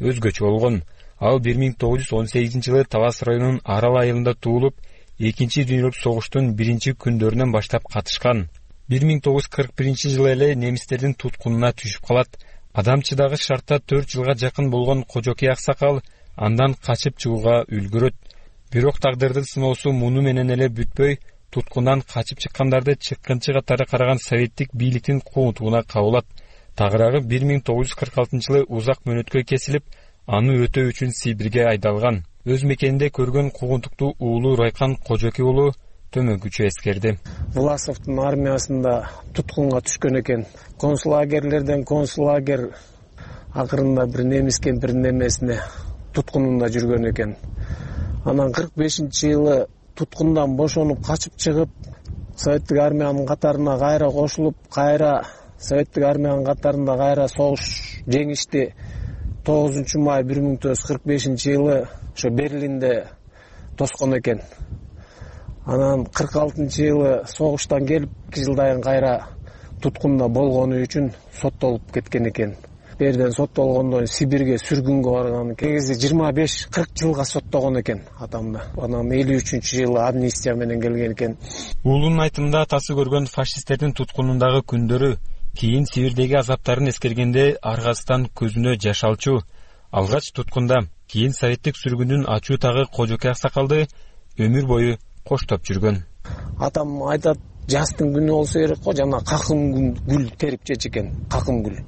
өзгөчө болгон. Ал бир миң тогуз жүз он сегизинчи жылы Талас районунун Арал айылында туулуп, экинчи дүйнөлүк согуштун биринчи күндөрүнөн баштап катышкан. бир миң тогуз жүз кырк биринчи жылы эле немистердин туткунуна түшүп калат. Адамчыдагы шартта төрт жылга жакын болгон Кожокей аксакал андан качып чыгууга үлгүрөт. Бирок тагдырдын сыноосу муну менен эле бүтпөй, туткундан качып чыккандарды чыккынчы катары караган советтик бийликтин куунтугуна кабылат. Тагыраагы бир миң тогуз жүз кырк алтынчы жылы узак мөөнөткө кесилип, аны өтөө үчүн Сибирге айдалган. Өз мекенинде көргөн куунтукту уулу Райкан Кожокей уулу төмөнкүчө эскерди. Власовдун армиясында туткунга түшкөн экен. Концлагерлерден концлагер акырында бир немис кемпирдин эмесине туткунунда жүргөн экен. Анан кырк бешинчи жылы туткундан бошонуп качып чыгып, советтик армиянын катарына кайра кошулуп, кайра советтик армиянын катарында кайра согуш жеңишти. тогузунчу май бир миң тогуз жүз кырк бешинчи жылы ошо Берлинде тоскон экен. Анан кырк алтынчы жылы согуштан келип, эки жылдан кайра туткунда болгону үчүн соттолуп кеткен экен. Берден соттолгондон Сибирге сүргүнгө барган экен. Негизи жыйырма беш кырк жылга соттогон экен атамды. Анан элүү үчүнчү жылы амнистия менен келген экен. Уулунун айтымында атасы көргөн фашисттердин туткунундагы күндөрү, кийин Сибирдеги азаптарын эскергенде аргасынан көзүнө жаш алчу. Алгач туткунда, кийин советтик сүргүндүн ачуу тагы Кожокей аксакалды өмүр бою коштоп жүргөн. Атам айтат, жастын күнү болсо керек го, жана какым гүл терип жечү экен, какым гүл.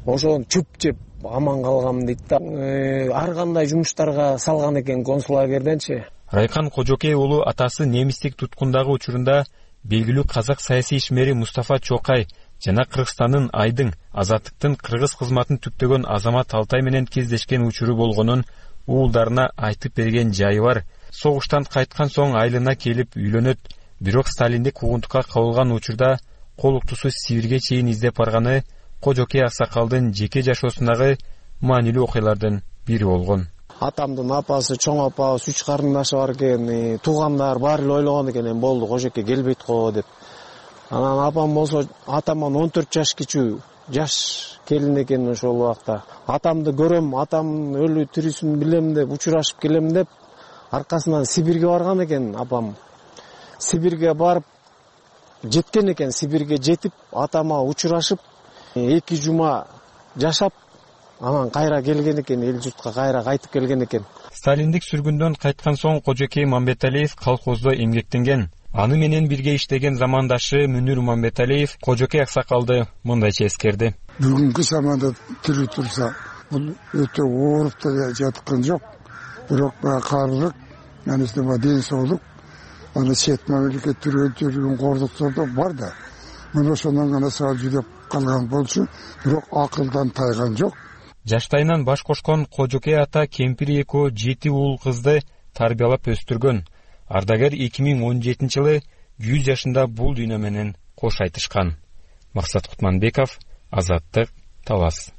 Ошон чүп жеп аман калгам дейт да. Ар кандай жумуштарга салган экен концлагерденчи. Райкан Кожокей уулу атасы немистик туткундагы учурунда белгилүү казак саясий ишмери Мустафа Чокай жана Кыргызстандын Айдың азаттыктын кыргыз кызматын түптөгөн Азамат Алтай менен кездешкен учуру болгонун уулдарына айтып берген жайы бар. Согуштан кайткан соң айылына келип үйлөнөт. Бирок Сталиндик куугунтукка кабылган учурда кол уктусу Сибирге чейин издеп барганы Кожокей аксакалдын жеке жашоосундагы маанилүү окуялардын бири болгон. Атамдын апасы, чоң апасы, үч карындашы бар экен. Туугандар баары эле ойлогон экен, болду, Кожокей келбейт го деп. Анан апам болсо атамдан он төрт жаш кичүү, жаш келин экен ошол убакта. Атамды көрөм, атам өлү тирүүсүн билем деп, учурашып келем деп, аркасынан Сибирге барган экен апам. Сибирге барып жеткен экен, Сибирге жетип, атама учурашып, эки жума жашап, анан кайра келген экен, эл журтка кайра кайтып келген экен. Сталиндик сүргүндөн кайткан соң Кожокей Мамбеталиев колхоздо эмгектенген. Аны менен бирге иштеген замандашы Мүнүр Мамбеталиев Кожокей аксакалды мындайча эскерди. Бүгүнкү заманда тирүү турса, бул өтө ооруп да жаткан жок. Бирок каарылык, анысы ден соолук, аны чет мамлекет түрөөлтүргөн кордуктор да бар да. Мына ошондон гана саал жүдөп калган болчу, бирок акылдан тайган жок. Жаштайынан баш кошкон Кожокей ата кемпир экөө жети уул кызды тарбиялап өстүргөн. Ардагер эки миң он жетинчи жылы жүз жашында бул дүйнө менен кош айтышкан. Максат Кутманбеков, Азаттык, Талас.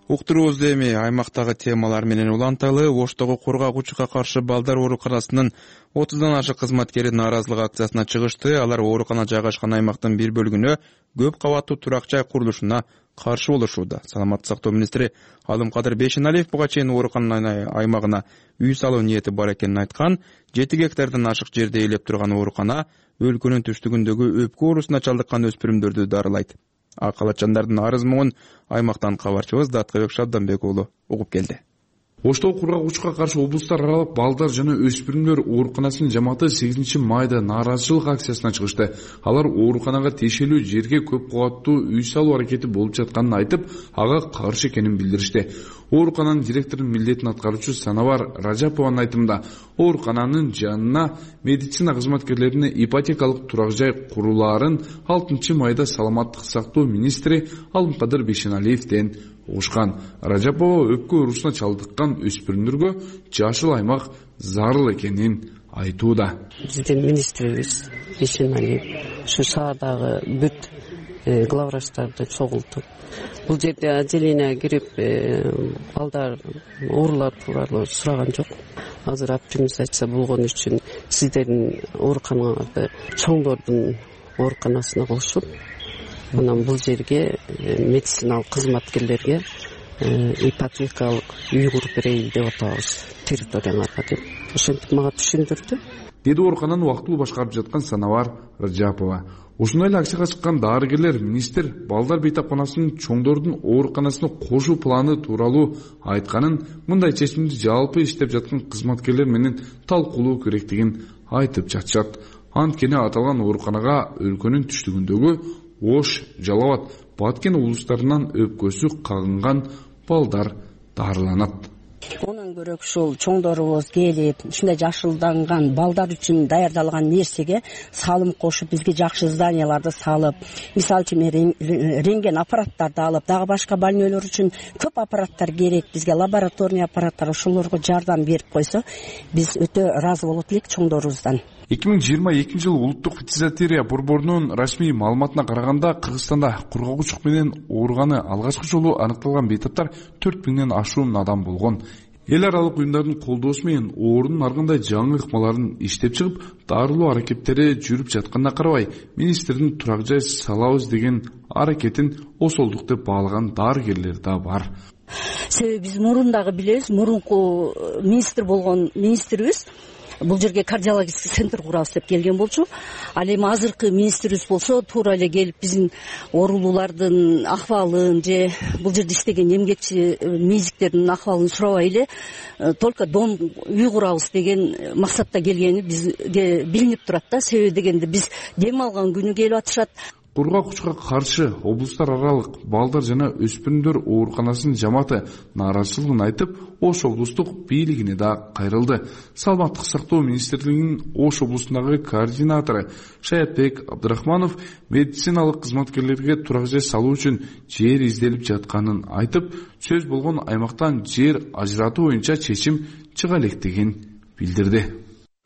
Уктуруубузду эми аймактагы темалар менен уланталы. Оштогу кургагуучуга каршы балдар ооруканасынын отуздан ашык кызматкери нааразылык акциясына чыгышты. Алар оорукана жайгашкан аймактын бир бөлүгүнө көп кабаттуу турак жай курулушуна каршы болушууда. Саламаттык сактоо министри Алымкадыр Бейшеналиев буга чейин оорукананын аймагына үй салуу ниети бар экенин айткан. жети гектардан ашык жерде ээлеп турган оорукана өлкөнүн түштүгүндөгү өпкө оорусуна чалдыккан өспүрүмдөрдү дарылайт. Акалатчандардын арыз муңун аймактан кабарчыбыз Даткыбек Шабданбек уулу угуп келди. Оштогу кургагучка каршы облустар аралык балдар жана өспүрүмдөр ооруканасынын жамааты сегизинчи майда нааразычылык акциясына чыгышты. Алар ооруканага тиешелүү жерге көп кабаттуу үй салуу аракети болуп жатканын айтып, ага каршы экенин билдиришти. Оорукананын директорунун милдетин аткаруучу Санавар Ражапованын айтымында, оорукананын жанына медицина кызматкерлерине ипотекалык турак жай курулаарын алтынчы майда саламаттык сактоо министри Алымкадыр Бейшеналиевден угушкан. Ражапова өпкө оорусуна чалдыккан өспүрүмдөргө жашыл аймак зарыл экенин айтууда. Биздин министрибиз Бейшеналиев ушу шаардагы бүт главврачтарды чогултуп, бул жерде отделение кирип балдар оорулар тууралуу сураган жок. Азыр оптимизация болгон үчүн сиздердин ооруканаларды чоңдордун ооруканасына кошуп, анан бул жерге медициналык кызматкерлерге ипотекалык үй куруп берейин деп атабыз территорияңарга деп ошентип мага түшүндүрдү, деди оорукананы убактылуу башкарып жаткан Санавар Ражапова. Ушундай эле акцияга чыккан дарыгерлер министр балдар бейтапканасынын чоңдордун ооруканасына кошуу планы тууралуу айтканын, мындай чечимди жалпы иштеп жаткан кызматкерлер менен талкуулоо керектигин айтып жатышат. Анткени аталган ооруканага өлкөнүн түштүгүндөгү Ош, Жалал абад, Баткен облустарынан өпкөсү кагынган балдар дарыланат. Онун көрөк ушул чоңдорубуз келип, ушундай жашылданган балдар үчүн даярдалган нерсеге салым кошуп, бизге жакшы зданияларды салып, мисалы үчүн рентген аппараттарды алып, дагы башка больнойлор үчүн көп аппараттар керек, бизге лабораторный аппараттар, ошолорго жардам берип койсо, биз өтө ыраазы болот элек чоңдорубуздан. эки миң жыйырма экинчи жылы улуттук фитизатерия борборунун расмий маалыматына караганда, Кыргызстанда кургагучук менен ооруганы алгачкы жолу аныкталган бейтаптар төрт миңден ашуун адам болгон. Эл аралык уюмдардын колдоосу менен оорунун ар кандай жаңы ыкмаларын иштеп чыгып, дарылоо аракеттери жүрүп жатканына карабай, министрдин турак жай салабыз деген аракетин осолдук деп баалаган дарыгерлер да бар. Себеби биз мурун дагы билебиз, мурунку министр болгон министрибиз бул жерге кардиологический центр курабыз деп келген болчу. Ал эми азыркы министрибиз болсо туура эле келип биздин оорулуулардын акыбалын же бул жерде иштеген эмгекчи медиктердин акыбалын сурабай эле только дом үй курабыз деген максатта келгени бизге билинип турат да. Себеби дегенде биз дем алган күнү келип атышат. Кургагучка каршы облустар аралык балдар жана өспүрүмдөр ооруканасынын жамааты нааразычылыгын айтып, Ош облустук бийлигине да кайрылды. Саламаттык сактоо министрлигинин Ош облусундагы координатору Шаятбек Абдрахманов медициналык кызматкерлерге турак жай салуу үчүн жер изделип жатканын айтып, сөз болгон аймактан жер ажыратуу боюнча чечим чыга электигин билдирди.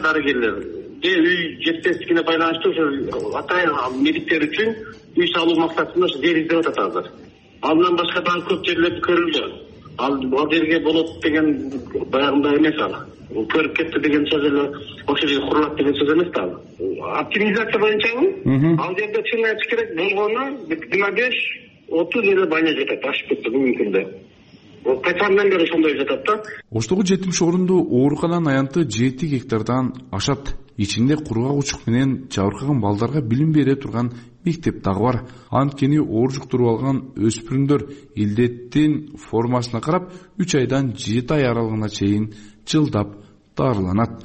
Дарыгерлер же үй жетпестигине байланыштуу ошо атайын медиктер үчүн үй салуу максатында жер издеп атат азыр. Андан башка дагы көп жерлер көрүлдү. Ал бул жерге болот деген баягындай эмес ал. Көрүп кетти деген сөз эле ошол жерге курулат деген сөз эмес да. Оптимизация боюнчабы? Ал жерде чын айтыш керек болгону жыйырма беш отуз эле баня жатат, ашып кетти бүгүнкү күндө. Качандан бери ошондой жатат да. Оштогу жетимиш орундуу оорукананын аянты жети гектардан ашат. Ичинде кургагучук менен жабыркаган балдарга билим бере турган мектеп дагы бар. Анткени оор жуктуруп алган өспүрүмдөр илдеттин формасына карап үч айдан жети ай аралыгына чейин жылдап дарыланат.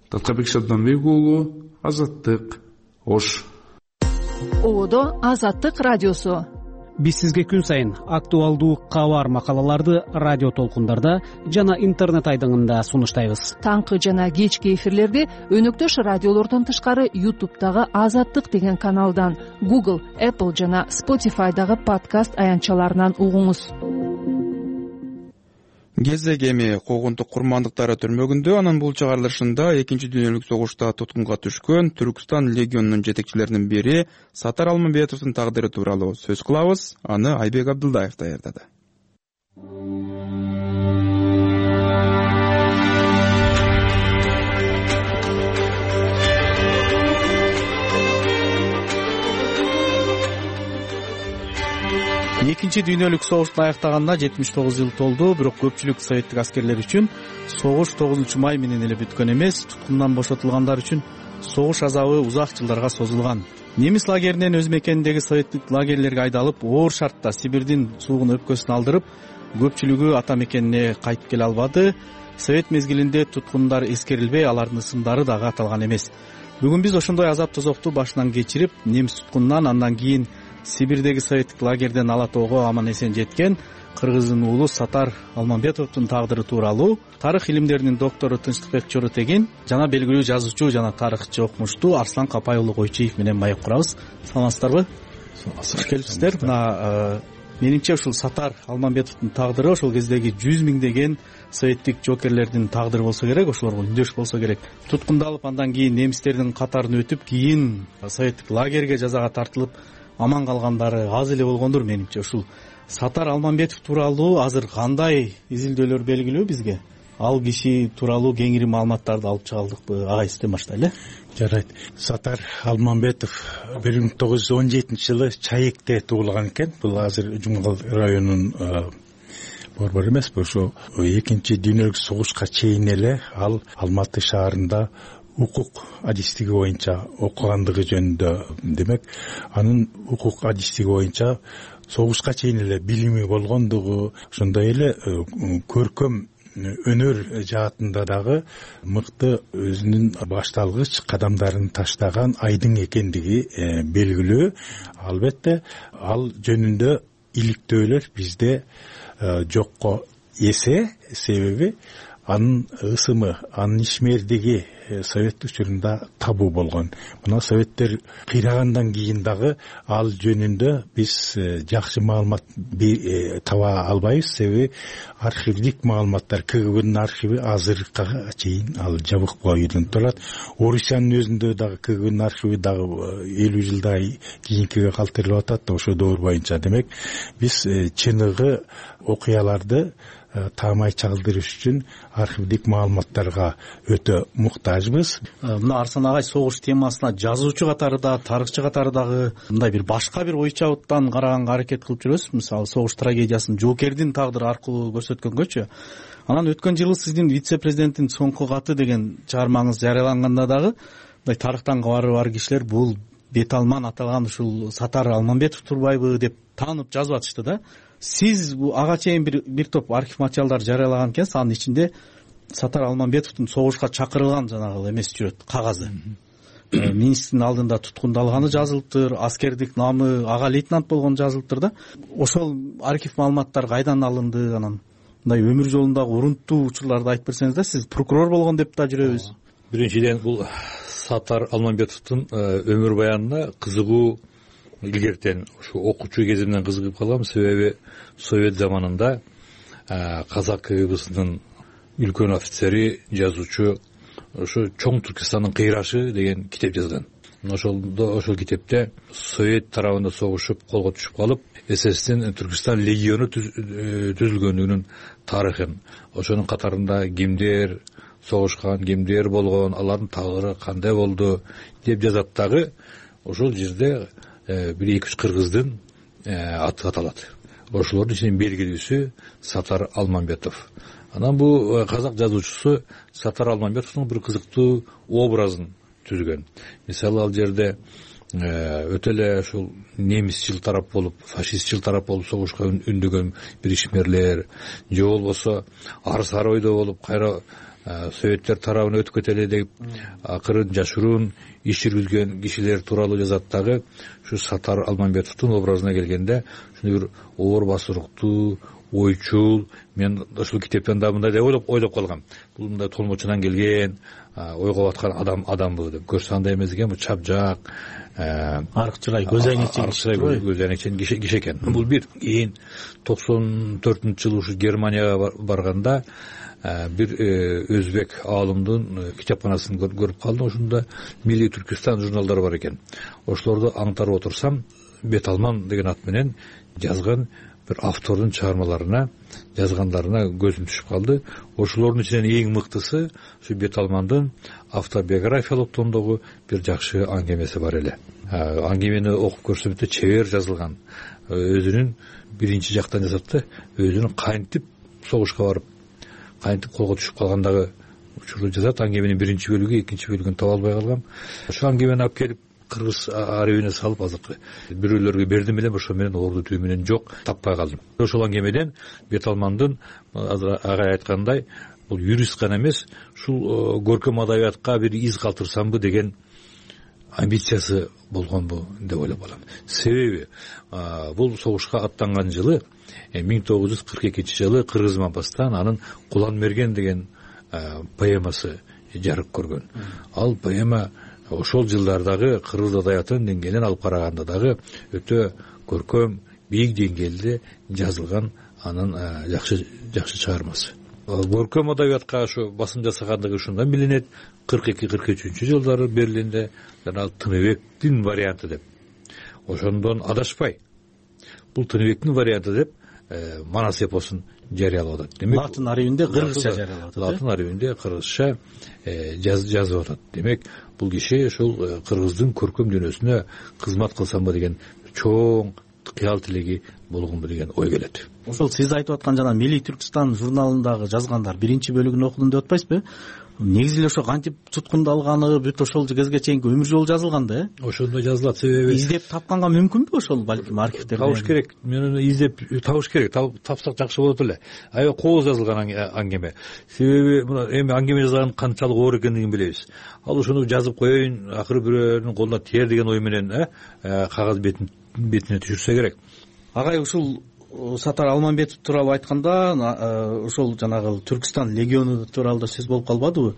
Таткабек Шабданбек уулу, Азаттык, Ош. Ободо Азаттык радиосу. Биз сизге күн сайын актуалдуу кабар макалаларды радио толкундарда жана интернет айдыңында сунуштайбыз. Таңкы жана кечки эфирлерди өнөктөш радиолордон тышкары ютубтагы Азаттык деген каналдан, Google, Apple жана Spotify'дагы подкаст аянтчаларынан угуңуз. Кезек эми Когунтук курмандыктары түрмөгүндө анын бул чыгарылышында экинчи дүйнөлүк согушта туткунга түшкөн Түркстан легионунун жетекчилеринин бири Сатар Алмамбетовдун тагдыры тууралуу сөз кылабыз. Аны Айбек Абдылдаев даярдады. Экинчи дүйнөлүк согуштун аяктаганына жетимиш тогуз жыл толду, бирок көпчүлүк советтик аскерлер үчүн согуш тогузунчу май менен эле бүткөн эмес, туткундан бошотулгандар үчүн согуш азабы узак жылдарга созулган. Немис лагеринен өз мекениндеги советтик лагерлерге айдалып, оор шартта Сибирдин суугун өпкөсүн алдырып, көпчүлүгү ата мекенине кайтып келе албады. Совет мезгилинде туткундар эскерилбей, алардын ысымдары дагы аталган эмес. Бүгүн биз ошондой азап тозокту башынан кечирип, немис туткунунан, андан кийин Сибирдеги советтик лагерден ала тоого аман эсен жеткен кыргыздын уулу Сатар Алмамбетовдун тагдыры тууралуу тарых илимдеринин доктору Тынчтыкбек Чоротегин жана белгилүү жазуучу жана тарыхчы окумуштуу Арслан Капай уулу Койчиев менен маек курабыз. Саламатсыздарбы? Саламатсыздар. Келипсиздер. Мына менимче ушул Сатар Алмамбетовдун тагдыры ошол кездеги жүз миңдеген советтик жоокерлердин тагдыры болсо керек, ошолорго үндөш болсо керек. Туткундалып, андан кийин немистердин катарын өтүп, кийин советтик лагерге жазага тартылып аман калгандары аз эле болгондур менимче. Ушул Сатар Алмамбетов тууралуу азыр кандай изилдөөлөр белгилүү бизге? Ал киши тууралуу кеңири маалыматтарды алып чыга алдыкпы? Агай, сизден баштайлы. Жарайт. Сатар Алмамбетов бир миң тогуз жүз он жетинчи жылы Чаекте туулган экен. Бул азыр Жумгал районунун борбору эмес, ошо экинчи дүйнөлүк согушка чейин эле ал Алматы шаарында укук адистиги боюнча окугандыгы жөнүндө, демек анын укук адистиги боюнча согушка чейин эле билими болгондугу, ошондой эле көркөм өнөр жаатында дагы мыкты өзүнүн башталгыч кадамдарын таштаган айдың экендиги белгилүү. Албетте ал жөнүндө иликтөөлөр бизде жокко эсе, себеби анын ысымы, анын ишмердиги совет учурунда табуу болгон. Мына советтер кыйрагандан кийин дагы ал жөнүндө биз жакшы маалымат таба албайбыз, себеби архивдик маалыматтар, КГБнын архиви азыркыга чейин ал жабык бойдон турат. Орусиянын өзүндө дагы КГБнын архиви дагы элүү жылдай кийинкиге калтырылып атат да, ошо доор боюнча. Демек биз чыныгы окуяларды таамай чагылдырыш үчүн архивдик маалыматтарга өтө муктажбыз. Мына Арслан агай, согуш темасына жазуучу катары да, тарыхчы катары дагы мындай бир башка бир ой чабыттан караганга аракет кылып жүрөсүз. Мисалы, согуш трагедиясын жоокердин тагдыры аркылуу көрсөткөнгөчү. Анан өткөн жылы сиздин вице-президенттин соңку каты деген чыгармаңыз жарыяланганда дагы мындай тарыхтан кабары бар кишилер бул бет алман аталган ушул Сатар Алмамбетов турбайбы деп таанып жазып атышты да. Сиз ага чейин бир бир топ архив материалдар жарыялаган экенсиз. Анын ичинде Сатар Алмамбетовдун согушка чакырылган жанагы эмеси жүрөт, кагазы. Министрдин алдында туткундалганы жазылыптыр, аскердик намы ага лейтенант болгону жазылыптыр да. Ошол архив маалыматтар кайдан алынды? Анан мындай өмүр жолундагы урунттуу учурларды айтып берсеңиз да. Сиз прокурор болгон деп да жүрөбүз. Биринчиден, бул Сатар Алмамбетовдун өмүр баянына кызыгуу илгертен ушу окуучу кезимден кызыгып калгам, себеби Совет заманында казак КГБсынын үлкөн офицери, жазуучу ошо Чоң Түркистандын кыйрашы деген китеп жазган. Ошолдо ошол китепте Совет тарабында согушуп колго түшүп калып, ССдин Түркистан легиону түзүлгөндүгүнүн тарыхын, ошонун катарында кимдер согушкан, кимдер болгон, алардын тагдыры кандай болду деп жазат дагы. Ошол жерде бир эки үч кыргыздын аты аталат. Ошолордун ичинен белгилүүсү Сатар Алмамбетов. Анан бул казак жазуучусу Сатар Алмамбетовдун бир кызыктуу образын түзгөн. Мисалы, ал жерде өтө эле ушул немисчил тарап болуп, фашистчил тарап болуп согушка үндөгөн бир ишмерлер, же болбосо ар-сар ойдо болуп кайра советтер тарабына өтүп кетели деп акырын жашыруун иш жүргүзгөн кишилер тууралуу жазат дагы. Ушу Сатар Алмамбетовдун образына келгенде ушундай бир оор басыруктуу, ойчул, мен ушул китептен да мындай деп ойлоп ойлоп калгам. Бул мындай толмочунан келген, ойго баткан адам адамбы деп. Көрсө андай эмес экен, бул чапжак, аркчылай, көзөйнекчен көзөйнекчен киши экен. Бул бир. Кийин токсон төртүнчү жылы ушу Германияга барганда бир өзбек аалымдын китепканасын көрүп калдым. Ошондо Милли Түркистан журналдары бар экен. Ошолорду аңтарып отурсам, Бет алман деген ат менен жазган бир автордун чыгармаларына, жазгандарына көзүм түшүп калды. Ошолордун ичинен эң мыктысы ушу Бет алмандын автобиографиялык томдогу бир жакшы аңгемеси бар эле. Аңгемени окуп көрсөм өтө чебер жазылган. Өзүнүн биринчи жактан жазат да, өзүнүн кантип согушка барып, кантип колго түшүп калгандагы учурду жазат. Аңгеменин биринчи бөлүгү, экинчи бөлүгүн таба албай калгам. Ошол аңгемени алып келип кыргыз аребине салып азыркы бирөөлөргө бердим элем, ошо менен орду түү менен жок, таппай калдым. Ошол аңгемеден Бет Алмандын азыр агай айткандай бул юрист гана эмес, ушул көркөм адабиятка бир из калтырсамбы деген амбициясы болгонбу деп ойлоп калам. Себеби бул согушка аттанган жылы миң тогуз жүз кырк экинчи жылы Кыргыз Мапастан анын Кулан мерген деген поэмасы жарык көргөн. Ал поэма ошол жылдардагы кыргыз адабиятынын деңгээлинен алып караганда дагы өтө көркөм, бийик деңгээлде жазылган анын жакшы жакшы чыгармасы. Көркөм адабиятка ошо басым жасагандыгы ушундан билинет. кырк эки кырк үчүнчү жылдары Берлинде жана Тыныбектин варианты деп. Ошондон адашпай бул Тыныбектин варианты деп Манас эпосун жарыялап атат. Демек, латын арабинде кыргызча жарыялап атат. Латын арабинде кыргызча жазып атат. Демек, бул киши ошол кыргыздын көркөм дүйнөсүнө кызмат кылсамбы деген чоң кыял тилеги болгонбу деген ой келет. Ошол сиз айтып аткан жана Милли Түркстан журналындагы жазгандар биринчи бөлүгүн окудум деп атпайсызбы? Негизи эле ошо кантип туткунду алганы бүт ошол кезге чейинки өмүр жолу жазылган да, э? Ошондой жазылат. Себеби издеп тапканга мүмкүнбү ошол балким архивтерде? Табыш керек. Мен издеп табыш керек. Тапсак жакшы болот эле. Аябай кооз жазылган аңгеме. Себеби мына эми аңгеме жазган канчалык оор экендигин билебиз. Ал ошону жазып коеюн, акыры бирөөнүн колуна тиер деген ой менен кагаз бетин бетине түшүрсө керек. Агай, ушул Сатар Алмамбетов тууралуу айтканда, ошол жанагы Түркстан легиону тууралуу да сөз болуп калбадыбы?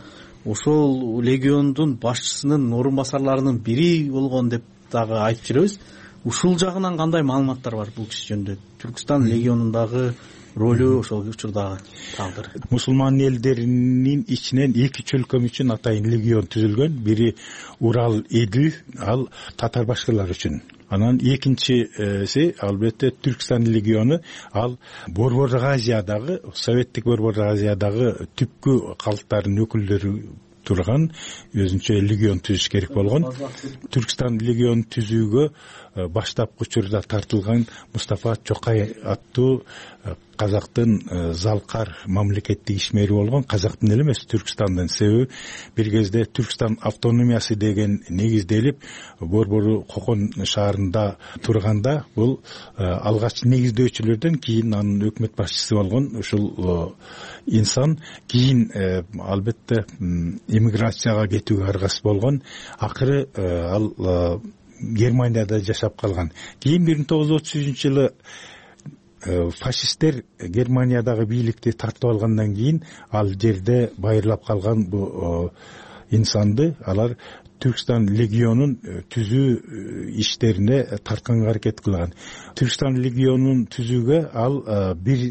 Ошол легиондун башчысынын орун басарларынын бири болгон деп дагы айтып жүрөбүз. Ушул жагынан кандай маалыматтар бар бул киши жөнүндө? Түркстан легионундагы ролу, ошол учурдагы тагдыры. Мусулман элдеринин ичинен эки чөлкөм үчүн атайын легион түзүлгөн. Бири Урал Эдил, ал татар башкалар үчүн. Анан экинчиси албетте Түркстан легиону, ал Борбордук Азиядагы, Советтик Борбордук Азиядагы түпкү калктардын өкүлдөрү турган өзүнчө легион түзүш керек болгон. Түркстан легион түзүүгө баштапкы учурда тартылган Мустафа Чокай аттуу казактын залкар мамлекеттик ишмери болгон, казактын эле эмес, Түркстандын. Себеби бир кезде Түркстан автономиясы деген негизделип Борбору Кокон шаарында турганда, бул алгач негиздөөчүлөрдөн кийин анын өкмөт башчысы болгон ушул инсан кийин албетте эмиграцияга кетүүгө аргасыз болгон. Акыры ал Германияда жашап калган. Кийин миң тогуз жүз отуз үчүнчү жылы фашисттер Германиядагы бийликти тартып алгандан кийин ал жерде байырлап калган бу инсанды алар Түркстан легионун түзүү иштерине тартканга аракет кылган. Түркстан легионун түзүүгө ал бир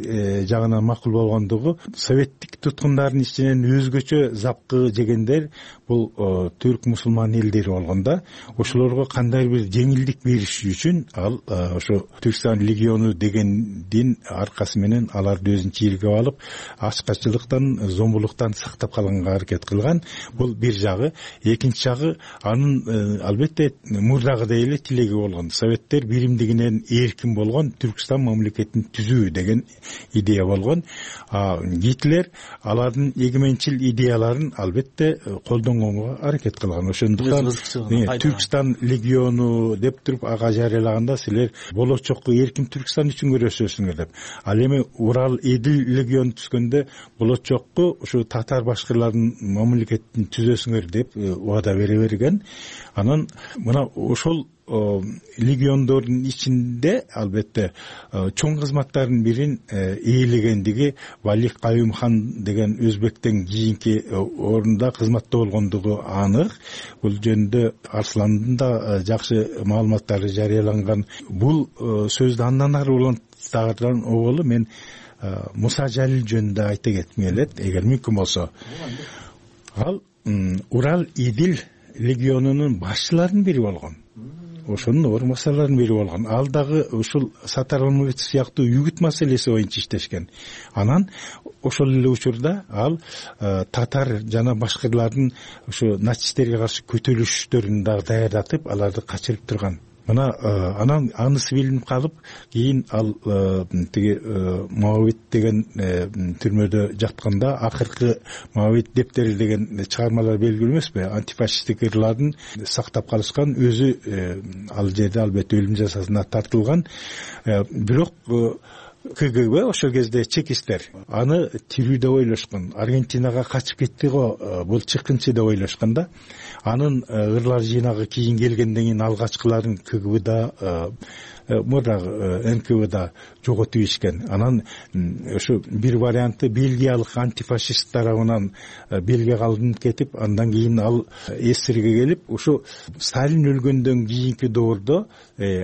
жагынан макул болгондугу, советтик туткундардын ичинен өзгөчө запкы жегендер бул түрк мусулман элдери болгонда, ошолорго кандай бир жеңилдик бериш үчүн ал ошо Түркстан легиону дегендин аркасы менен аларды өзүнчө ийгип алып, ачкачылыктан, зомбулуктан сактап калганга аракет кылган. Бул бир жагы. Экинчи жагы, анын албетте мурдагыдай эле тилеги болгон. Советтер биримдигинен эркин болгон Түркстан мамлекетин түзүү деген идея болгон. Гитлер алардын эгеменчил идеяларын албетте колдонгонго аракет кылган. Ошондуктан Түркстан легиону деп туруп ага жарыялаганда силер болочокко эркин Түркстан үчүн күрөшөсүңөр деп. Ал эми Урал Эдил легион түзгөндө болочокко ушу татар башкалардын мамлекетин түзөсүңөр деп убада бере берген. Анан мына ошол легиондордун ичинде албетте чоң кызматтардын бирин ээлегендиги Валих Каюм хан деген өзбектен кийинки орунда кызматта болгондугу анык. Бул жөнүндө Арсландын да жакшы маалыматтары жарыяланган. Бул сөздү андан ары улантырган оболу мен Муса Жалил жөнүндө айта кетким келет, эгер мүмкүн болсо. Ал Урал Эдил легионунун башчыларынын бири болгон. Ошонун орун басарларынын бири болгон. Ал дагы ушул Сатар Алмамбетов сыяктуу үгүт маселеси боюнча иштешкен. Анан ошол эле учурда ал татар жана башкалардын ушу нацисттерге каршы көтөрүлүштөрүн дагы даярдатып, аларды качырып турган. мына анан анысы билинип калып кийин ал тиги Моавит деген түрмөдө жатканда акыркы Моавит дептери деген чыгармалар белгилүү эмеспи, антифашисттик ырларын сактап калышкан, өзү ал жерде албетте өлүм жазасына тартылган. Бирок ка гэ бэ ошол кезде чекисттер аны тирүү деп ойлошкон. Аргентинага качып кетти го, бул чыккынчы деп ойлошкон да. Анын ырлар жыйнагы кийин келгенден кийин алгачкыларын ка гэ бда мурдагы эн ка вэ да жоготуп ишкен. Анан ошо бир варианты бельгиялык антифашист тарабынан белге калынып кетип, андан кийин ал эсирге келип, ошо Сталин өлгөндөн кийинки доордо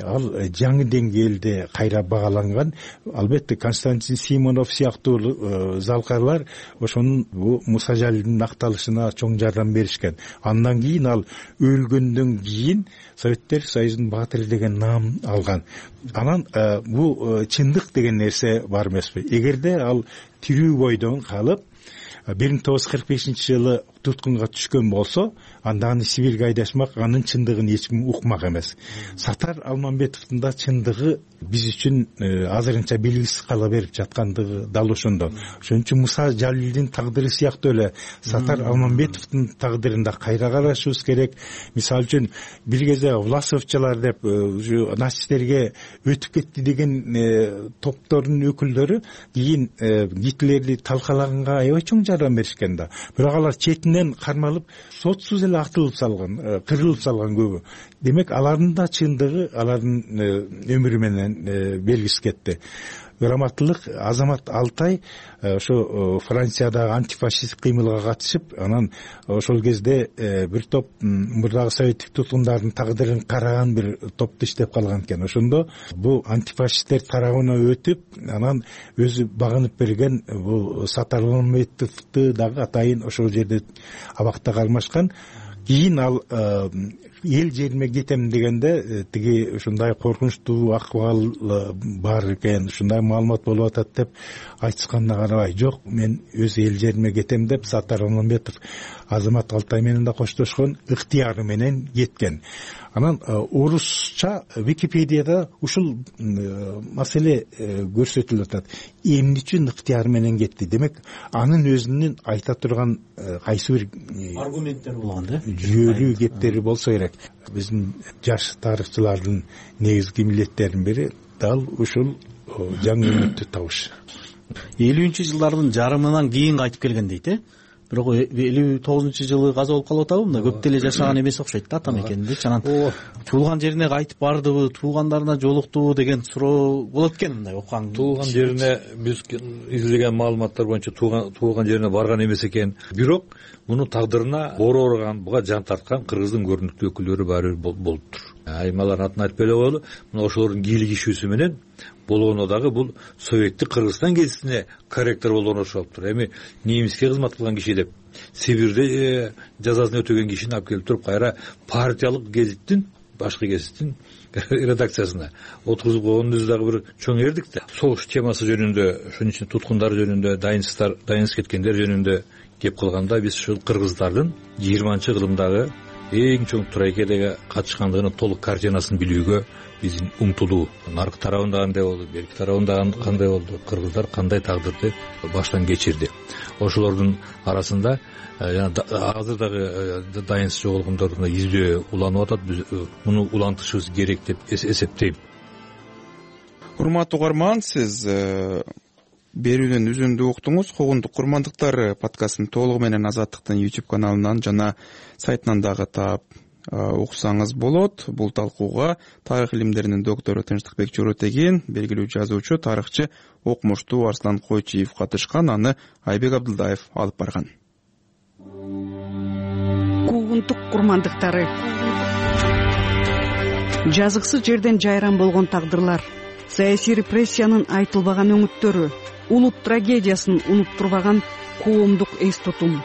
ал жаңы деңгээлде кайра багаланган. Албетте Константин Симонов сыяктуу залкарлар ошонун бу Муса Жалилдин акталышына чоң жардам беришкен. Андан кийин ал өлгөндөн кийин Советтер Союзунун баатыры деген наам алган. Анан бул чындык деген нерсе бар эмеспи? Эгерде ал тирүү бойдон калып бир миң тогуз жүз кырк бешинчи жылы туткунга түшкөн болсо, анда аны Сибирге айдашмак, анын чындыгын эч ким укмак эмес. Сатар Алмамбетовдун да чындыгы биз үчүн азырынча белгисиз кала берип жаткандыгы дал ошондо. Ошон үчүн Муса Жалилдин тагдыры сыяктуу эле Сатар Алмамбетовдун тагдырын да кайра карашыбыз керек. Мисалы үчүн бир кезде Власовчалар деп нацисттерге өтүп кетти деген топтордун өкүлдөрү кийин Гитлерди талкалаганга аябай чоң жардам беришкен да. Бирок алар четинен кармалып, сотсуз эле атылып салган, кырылып салган көбү. Демек, алардын да чындыгы алардын өмүрү менен белгисиз кетти. Грамоталык Азамат Алтай ошо Франциядагы антифашисттик кыймылга катышып, анан ошол кезде бир топ мурдагы советтик туткундардын тагдырын караган бир топто иштеп калган экен. Ошондо бу антифашисттер тарабына өтүп, анан өзү багынып берген бул Сатар Алмамбетовду дагы атайын ошол жерде абакта калмашкан. Кийин ал эл жериме кетем дегенде тиги ушундай коркунучтуу акыбал бар экен, ушундай маалымат болуп атат деп айтышканына карабай, жок, мен өз эл жериме кетем деп Сатар Алмамбетов Азамат Алтай менен да коштошкон, ыктыяры менен кеткен. Анан орусча Википедияда ушул маселе көрсөтүлүп атат. Эмне үчүн ыктыяры менен кетти? Демек, анын өзүнүн айта турган кайсы бир аргументтер болгон да, жүйөлүү кептери болсо керек. Биздин жаш тарыхчылардын негизги милдеттеринин бири дал ушул жаңы үмүттү табыш. элүүнчү жылдардын жарымынан кийин кайтып келген дейт, э? Бирок элүү тогузунчу жылы каза болуп калып атабы? Мында көп деле жашаган эмес окшойт да, ата мекенинде. Анан туулган жерине кайтып бардыбы, туугандарына жолуктубу деген суроо болот экен мындай окуган. Туулган жерине биз изилеген маалыматтар боюнча туулган туулган жерине барган эмес экен. Бирок муну тагдырына оор орган, буга жан тарткан кыргыздын көрүнүктүү өкүлдөрү баары бир болуптур. Аймалардын атын айтпай эле коелу. Мына ошолордун кийлик ишүүсү менен болгону дагы бул советтик Кыргызстан гезитине корректор болгону окшоптур. Эми немиске кызмат кылган киши деп Сибирде жазасын өтөгөн кишини алып келип туруп кайра партиялык гезиттин, башкы гезиттин редакциясына отургузуп койгонун өзү дагы бир чоң эрдик да. Согуш темасы жөнүндө, ошонун ичинде туткундар жөнүндө, дайынсыздар, дайынсыз кеткендер жөнүндө кеп кылганда биз ушул кыргыздардын жыйырманчы кылымдагы эң чоң трагедияга катышкандыгынын толук картинасын билүүгө биздин умтулуу. Наркы тарабында кандай болду, берки тарабында кандай болду, кыргыздар кандай тагдырды баштан кечирди. Ошолордун арасында азыр дагы дайынсыз жоголгондордун издөө уланып атат. Биз муну улантышыбыз керек деп эсептейм. Урматтуу угарман, сиз берүүнүн үзүндү уктуңуз. Когундук курмандыктар подкастын толугу менен Азаттыктын YouTube каналынан жана сайтынан дагы таап уксаңыз болот. Бул талкууга тарых илимдеринин доктору Тынчтыкбек Жоротеген, белгилүү жазуучу, тарыхчы, окумуштуу Арслан Койчиев катышкан, аны Айбек Абдылдаев алып барган. Когундук курмандыктары. Жазыксыз жерден жайран болгон тагдырлар, саясий репрессиянын айтылбаган өңүттөрү, улут трагедиясын унуттурбаган коомдук эс тутум.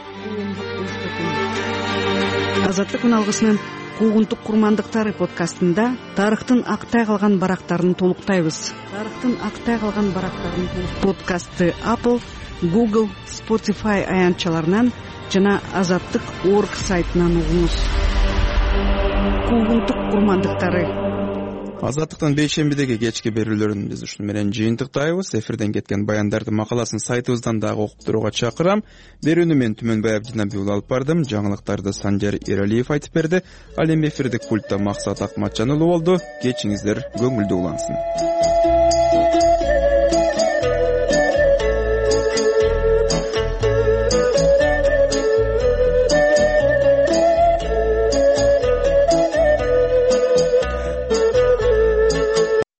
Азаттык үналгысынын Когундук курмандыктары подкастында тарыхтын актай калган барактарын толуктайбыз. Тарыхтын актай калган барактарын подкастты Apple, Google, Spotify аянтчаларынан жана азаттык точка орг сайтынан угуңуз. Когундук курмандыктары Азаттыктын бейшембидеги кечки берүүлөрүн биз ушуну менен жыйынтыктайбыз. Эфирден кеткен баяндардын макаласын сайтыбыздан дагы окуп турууга чакырам. Берүүнү мен Түмөнбай Абдинабиев алып бардым. Жаңылыктарды Санжар Эралиев айтып берди. Ал эми эфирдик пультта Максат Акматжан уулу болду. Кечиңиздер көңүлдүү улансын.